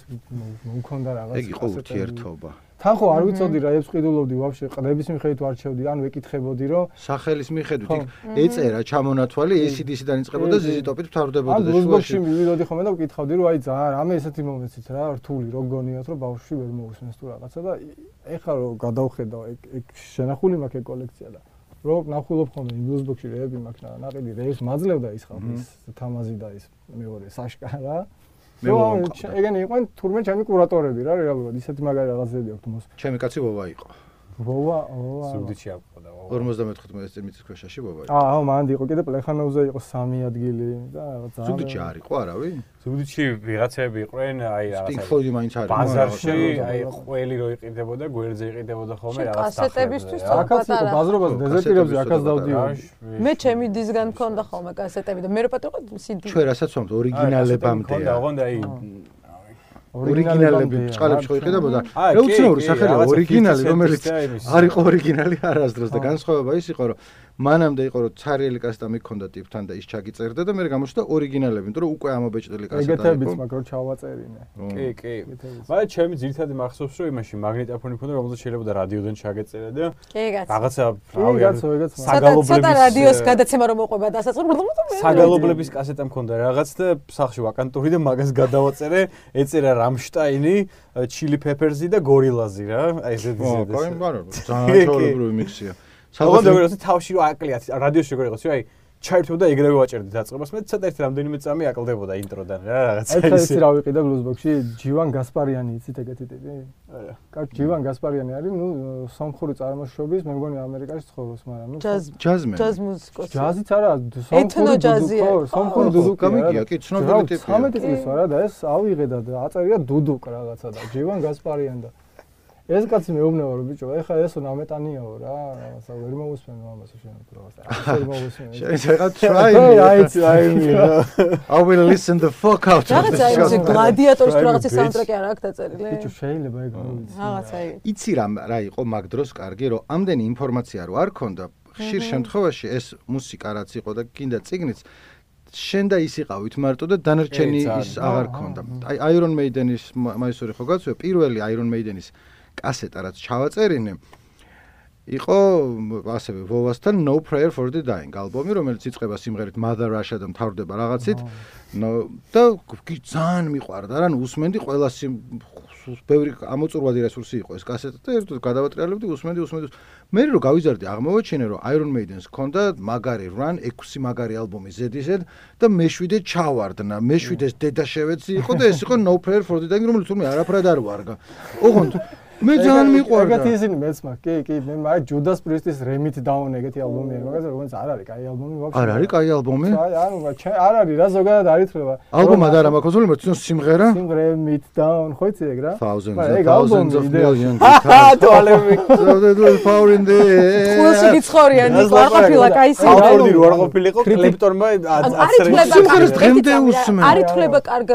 მომქონდა რაღაც ეგ იყო ურთიერთობა. თან ხო არ ვიცოდი რა ებს ყიდულობდი ვაფშე ყდების მიხედვით ვარჩევდი ან ვეკითხებოდი რომ სახელის მიხედვით იქ ეწერა ჩამონათვალი ACDC-დან იწყებოდა ZZ Top-ით ფთავდებოდა და შუაში მივიდოდი ხოლმე და ვკითხავდი რომ აი ძალიან რამე ესეთი მომეცით რა რთული რო გონიათ რომ ბავშვი ვერ მოусმენს თუ რაღაცა და ეხლა რო გადავხედავ ეგ შენახული მაქვს ეგ კოლექცია და რო ნახულობ ხოლმე ბლუზბოქსში რეები მაქვს ნაყიდი რეებს მაძლევდა ის ხალხი ის თამაზი და ის მეორე საშკა რა ეგენი იყვნენ თურმე ჩემი კურატორები რა რეალურად ისეთი მაგარი რაღაცები აქვს მოს ჩემი კაცი ვოვა იყო ვოვა სუდიჩი აყოდა 54 წელიწადში ქვეშაში ვოვა იყო აუ მანდი იყო კიდე პლეხანოვზე იყო 3 ადგილი და რაღაც სუდიჩი არ იყო არავინ სუდიჩი ვიღაცები იყვნენ აი რაღაცა Pink Floyd-ი მაინც არის ბაზარში აი ყველი რო იყიდებოდა გვერდზე იყიდებოდა ხოლმე რაღაც კასეტებისთვის აქაც იყო ბაზრობაზე დეზერტირებზე აქაც დავდიოდი მე ჩემი დისგან მქონდა ხოლმე კასეტები და მე რო პატარა CD ჩვენ რასაც ვამბობთ ორიგინალებამდეა ოღონდ აი ორიგინალები წყალებში ხო იყიდებოდა რევოლუციური სახელია ორიგინალი რომელიც არ იყო ორიგინალი არასდროს და განსხვავება ის იყო რომ მანამდე იყო რომ ცარიელი კასეტა მიქონდა ტიპთან და ის ჩაგიწერდა და მე გამოჩნდა ორიგინალები იმიტომ რომ უკვე ამობეჭდელი კასეტა იყო ეგეთებიც მაგრამ ჩავაწერინე კი მაგრამ ჩემი ძირითადი მახსოვს რომ იმაში მაგნიტოფონი მქონდა რომელზეც შეიძლება რადიოდან ჩაგეწერა და რაღაცა რავი საგალობლების რადიოს გადაცემა რომ მოყვება და საგალობლების კასეტა მქონდა რაღაც და სახში ვაკანტური და მაგას გადავაწერე ეწერა Rammstein-ი, Chili Peppers-ი და Gorillaz-ი რა. აი ესეთი ზედა. ხო, მაგრამ ძალიან ჩაოლებრივი მიქსია. საბოლოოდ თავში რო აკლიათ რადიოში როგორ იყოს, აი ჩაერთვდა ეგრევე ვაჭერდი დაწყებას, მე ცოტა ერთი რამდენიმე წამი აკლდებოდა ინტროდან რა რაღაცა ისე. ეს რა ვიყიდა ბლუზბოქსში, ჯივან გასპარიანი იცით ეგეთი ტიპი? არა. კარგი, ჯივან გასპარიანი არის, ნუ სომხური წარმოშობის, მე მგონი ამერიკაში ცხოვრობს, მაგრამ ნუ ჯაზმენი. ჯაზ მუსიკოსი. ჯაზიც არა, სომხური ჯაზია. სომხური დუდუკი. გამიგია, კი, ცნობილი ტიპია. 13 წლის ვარა და ეს ავიღე და აწერია დუდუკ რაღაცა და ჯივან გასპარიანი და ეს კაცი მეუბნება რომ ბიჭო, ეხა ესო ნამეტანიაო რა, რაღაცა ვერ მოусმენ ამას შენ პროგრამას. არ მოусმენ. შეიძლება try I will listen the fuck out. რაღაცა ეს გლადიატორის რაღაცა საუნდტრეკი არ აქვს დაწერილი. ბიჭო შეიძლება ეგ გავიცი. რაღაცა იცი რა იყო მაგ დროს კარგი რომ ამდენი ინფორმაცია რო არ ქონდა ხშირ შემთხვევაში ეს მუსიკა რაც იყო და კიდე წიგნიც შენ და ის იყავით მარტო და დანარჩენი ის აღარ ქონდა. აი Iron Maiden-ის მაისური ხო გაცვია პირველი Iron Maiden-ის კასეტა რაც ჩავაწერინე იყო ასევე Vovas-თან No Prayer for the Dying ალბომი რომელიც იწყება სიმღერით Mother Russia და მთავრდება რაღაცით და ძალიან მიყვარდა რა ნუ უსმენდი ყველა ბევრი ამოწურვადი რესურსი იყო ეს კასეტა და ერთად გადავატრიალებდი უსმენდი მე რო გავიზარდი აღმოვაჩინე რომ Iron Maiden-ს ჰქონდა მაგარი run 6 მაგარი ალბომი ზედიზედ და მე-7 ჩავარდნა მე-7-ეს დედა შევეცი იყო და ეს იყო No Prayer for the Dying რომელიც თურმე არაფრად არ ვარგა ოღონდ მე ძალიან მიყვარდა. ეგეთი ისინი მეც მაგ კი მე მაგ Judas Priest-ის Remit Down ეგეთი ალბომი არის, მაგაზე რომელიც არ არის კაი ალბომი ვაფშე. არ არის კაი ალბომი? ანუ არ არის რა ზოგადად არ ითვლება. ალბომად არა მაქვს უძლო მე სიმღერა? Remit Down ხო იცი ეგ რა? Thousands of millions. თვალები. So power in the ყველაზე გიცხოვრიან ნიკო არ ყოფილა კაი ალბომი რო არ ყოფილიყო კლეპტორმა სიმღერას დღემდე უსმენ. არ ითვლება კარგ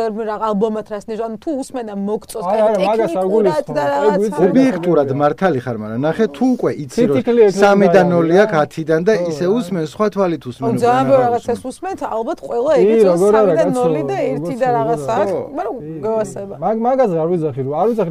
ალბომად რას ნიშნავს, ანუ თუ usmena მოგწოს ტექნიკურად და რაღაც ობიექტურად მართალი ხარ, მაგრამ ნახე თუ უკვე იცი რომ 3-დან 0 აქვს 10-დან და ისე усმენ სხვა თვალით усმენ. ძალიან ბევრი რაღაცას усმენთ, ალბათ ყველა ეგეც 3-დან 0 და 1 და რაღაცა აქვს, მაგრამ გავასება. მაგაზე არ ვიძახი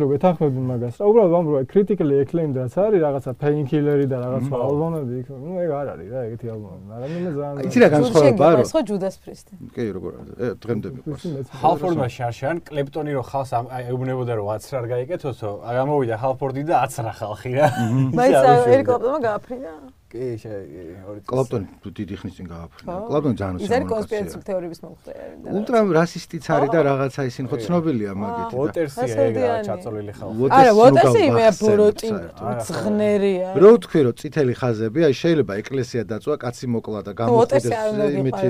რომ ეთანხმები მაგას. რა უბრალოდ ვამბობ critically acclaimed რაც არის რაღაცა Painkiller-ი და რაღაცა ალბომები იქ, ნუ ეგ არ არის რა ეგეთი ალბომები, მაგრამ მე ძალიან იცი რა განსხვავება არის? ხო Judas Priest-ი. კი როგორ არის? დღემდე მიყვარს. Halford-მა შარშან კლეპტონი რო ხალხს ეუბნებოდა რომ 10 რარ გაიკეთოსო, გამოვიდა Halford-ი და 10 ხალხი რა. მაინც ერთ კლაპტონმა გააფრინა? კი, ორი კლაპტონი დიდი ხნის წინ გააფრინა. კლაპტონი ძალიან ის არის კონსპირაციული თეორიების მომხრე არის. ულტრა რასისტიც არის და რაღაცა ისინი ხო ცნობილია მაგით. Waters-ი ეგა ჩაწოლილი ხალხი. არა, Waters-ი მე ბოროტი ძღნერია. რო თქვი რომ წითელი ხაზები, აი შეიძლება ეკლესია დაწვა, კაცი მოკლა და გამოხდეს იმითი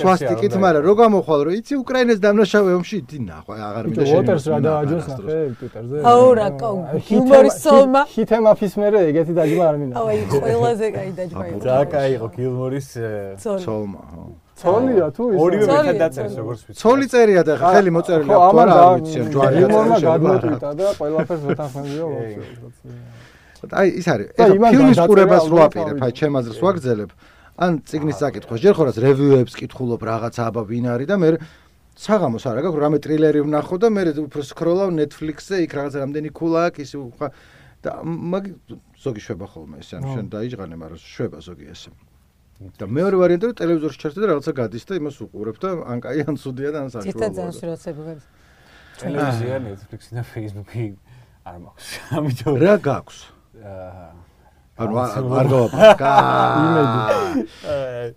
სვასტიკით, მაგრამ რო გამოხვალ რომ იცი უკრაინას დამნაშავე ომში დი ნახვა აღარ მინდა შენ. Waters რა დააჯოს ნახე Twitter-ზე. აუ რა ჰიუმორის სოლმა. ჰითემაფის მერე ეგეთი დაჯმა არ მინდა. აი ყველაზე კაი დაჯმა იყო. და კაი იყო გილმორის ცოლმა, ხო. ცოლია თუ ის ორივე მეტად დაწერეს როგორც ვიცი. ცოლი წერია და ხელი მოწერილი აქვს თუ არა არ ვიცი ამ ჯვარია. გილმორმა გადმოტვიტა და ყველაფერს ვეთანხმებიო ვაფშე. აი ის არის. ეხლა ფილმის ყურებას რო აპირებ, აი ჩემ აზრს ვაგრძელებ. ან წიგნის საკითხვა, ჯერ ხორას რევიუებს კითხულობ რაღაცა აბა ვინ არის და მე საღამოს არა გაქვს რამე ტრილერი ვნახო და მე უფრო სკროლავ Netflix-ზე იქ რაღაც რამდენი ქულა აქვს ისე და მაგ ზოგი შვება ხოლმე ეს ანუ შენ დაიჭღანე მაგრამ შვება ზოგი ესე და მეორე ვარიანტი რომ ტელევიზორში ჩართე და რაღაცა გადის და იმას უყურებ და ან კაი ან ცუდია და ან საშუალოა. ციტა ძალიან სურათები გადის. ტელევიზია, Netflix-ი და Facebook-ი არ მაქვს. ამიტომ რა გაქვს? ანუ არ გავაპარაკა. იმედი.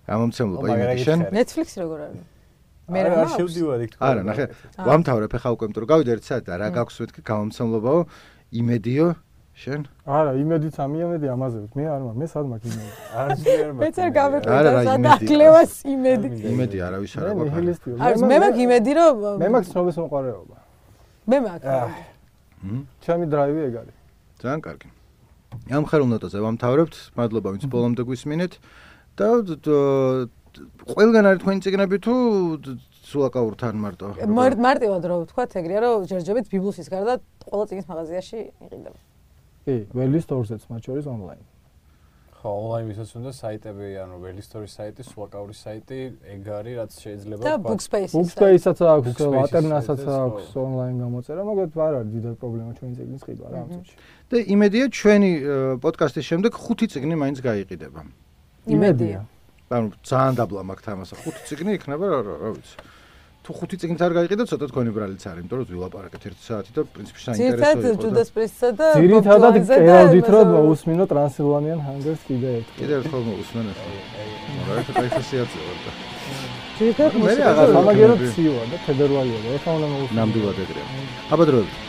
გამომცემლობა იმედი შენ? Netflix როგორ არის? მე რა შევდივარ იქ თქვა. არა, ნახე, ვამთავრებ ხა უკვე იმიტომ რომ გავიდე ერთ საათი და რა გაქვს მეთქი გამომცემლობაო იმედიო შენ? არა, იმედიც ამიამედი ამაზე. მე არ მაქვს, მე სად მაქვს იმედი. არ შეიძლება. მეც არ გამეკვირდა სადაკლევას იმედი. იმედი არავის არ აქვს. არის მე მაქვს იმედი რომ მე მაქვს ცნობის მოყარეობა. მე მაქვს. ჩემი დრაივი ეგ არის. ძალიან კარგი. ამ ხერულ ნოტაზე ვამთავრებთ. მადლობა ვინც ბოლომდე გვისმინეთ და ყველგან არის თქვენი წიგნები თუ სულაკაურთან მარტო? მარტივად რო ვთქვათ ეგრეა რომ ჯერჯერობით ბიბლსის გარდა ყველა წიგნის მაღაზიაში იყიდება. კი, Well Store-ზეც მათ შორის ონლაინ. ხო, ონლაინ ვისაც უნდა საიტები, ანუ Well Store-ის საიტი, სულაკაურის საიტი, ეგ არის რაც შეიძლება და Bookspace-ის. Bookspace-საც აქვს, Alternative-საც აქვს ონლაინ გამოწერა, მაგრამ არ არის დიდი პრობლემა ჩვენი წიგნის ყიდვა რა ამ წუთში. და იმედია ჩვენი პოდკასტის შემდეგ 5 წიგნი მაინც გაიყიდება. იმედია. ანუ ძალიან დაბლა მაქვს თამასა 5 წიგნი იქნება რა ვიცი. თუ 5 წიგნით არ გაიყიდა ცოტა თქვენი ბრალიც არის, იმიტომ რომ ვილაპარაკეთ 1 საათი და პრინციპში საინტერესო იყო. ძირითადად Judas Priest-სა და ძირითადად კერავდით რომ მოусმინო Transylvanian Hunger-ს კიდე ერთხელ. კიდე ერთხელ მოусმენთ. რა ეს კაიფასიაცია ვარ და. ძირითადად მე აღარ სამაგეროდ ცივა და ფედერვალია და ეხლა უნდა მოусმინო. ნამდვილად ეგრეა. აბა დროებით.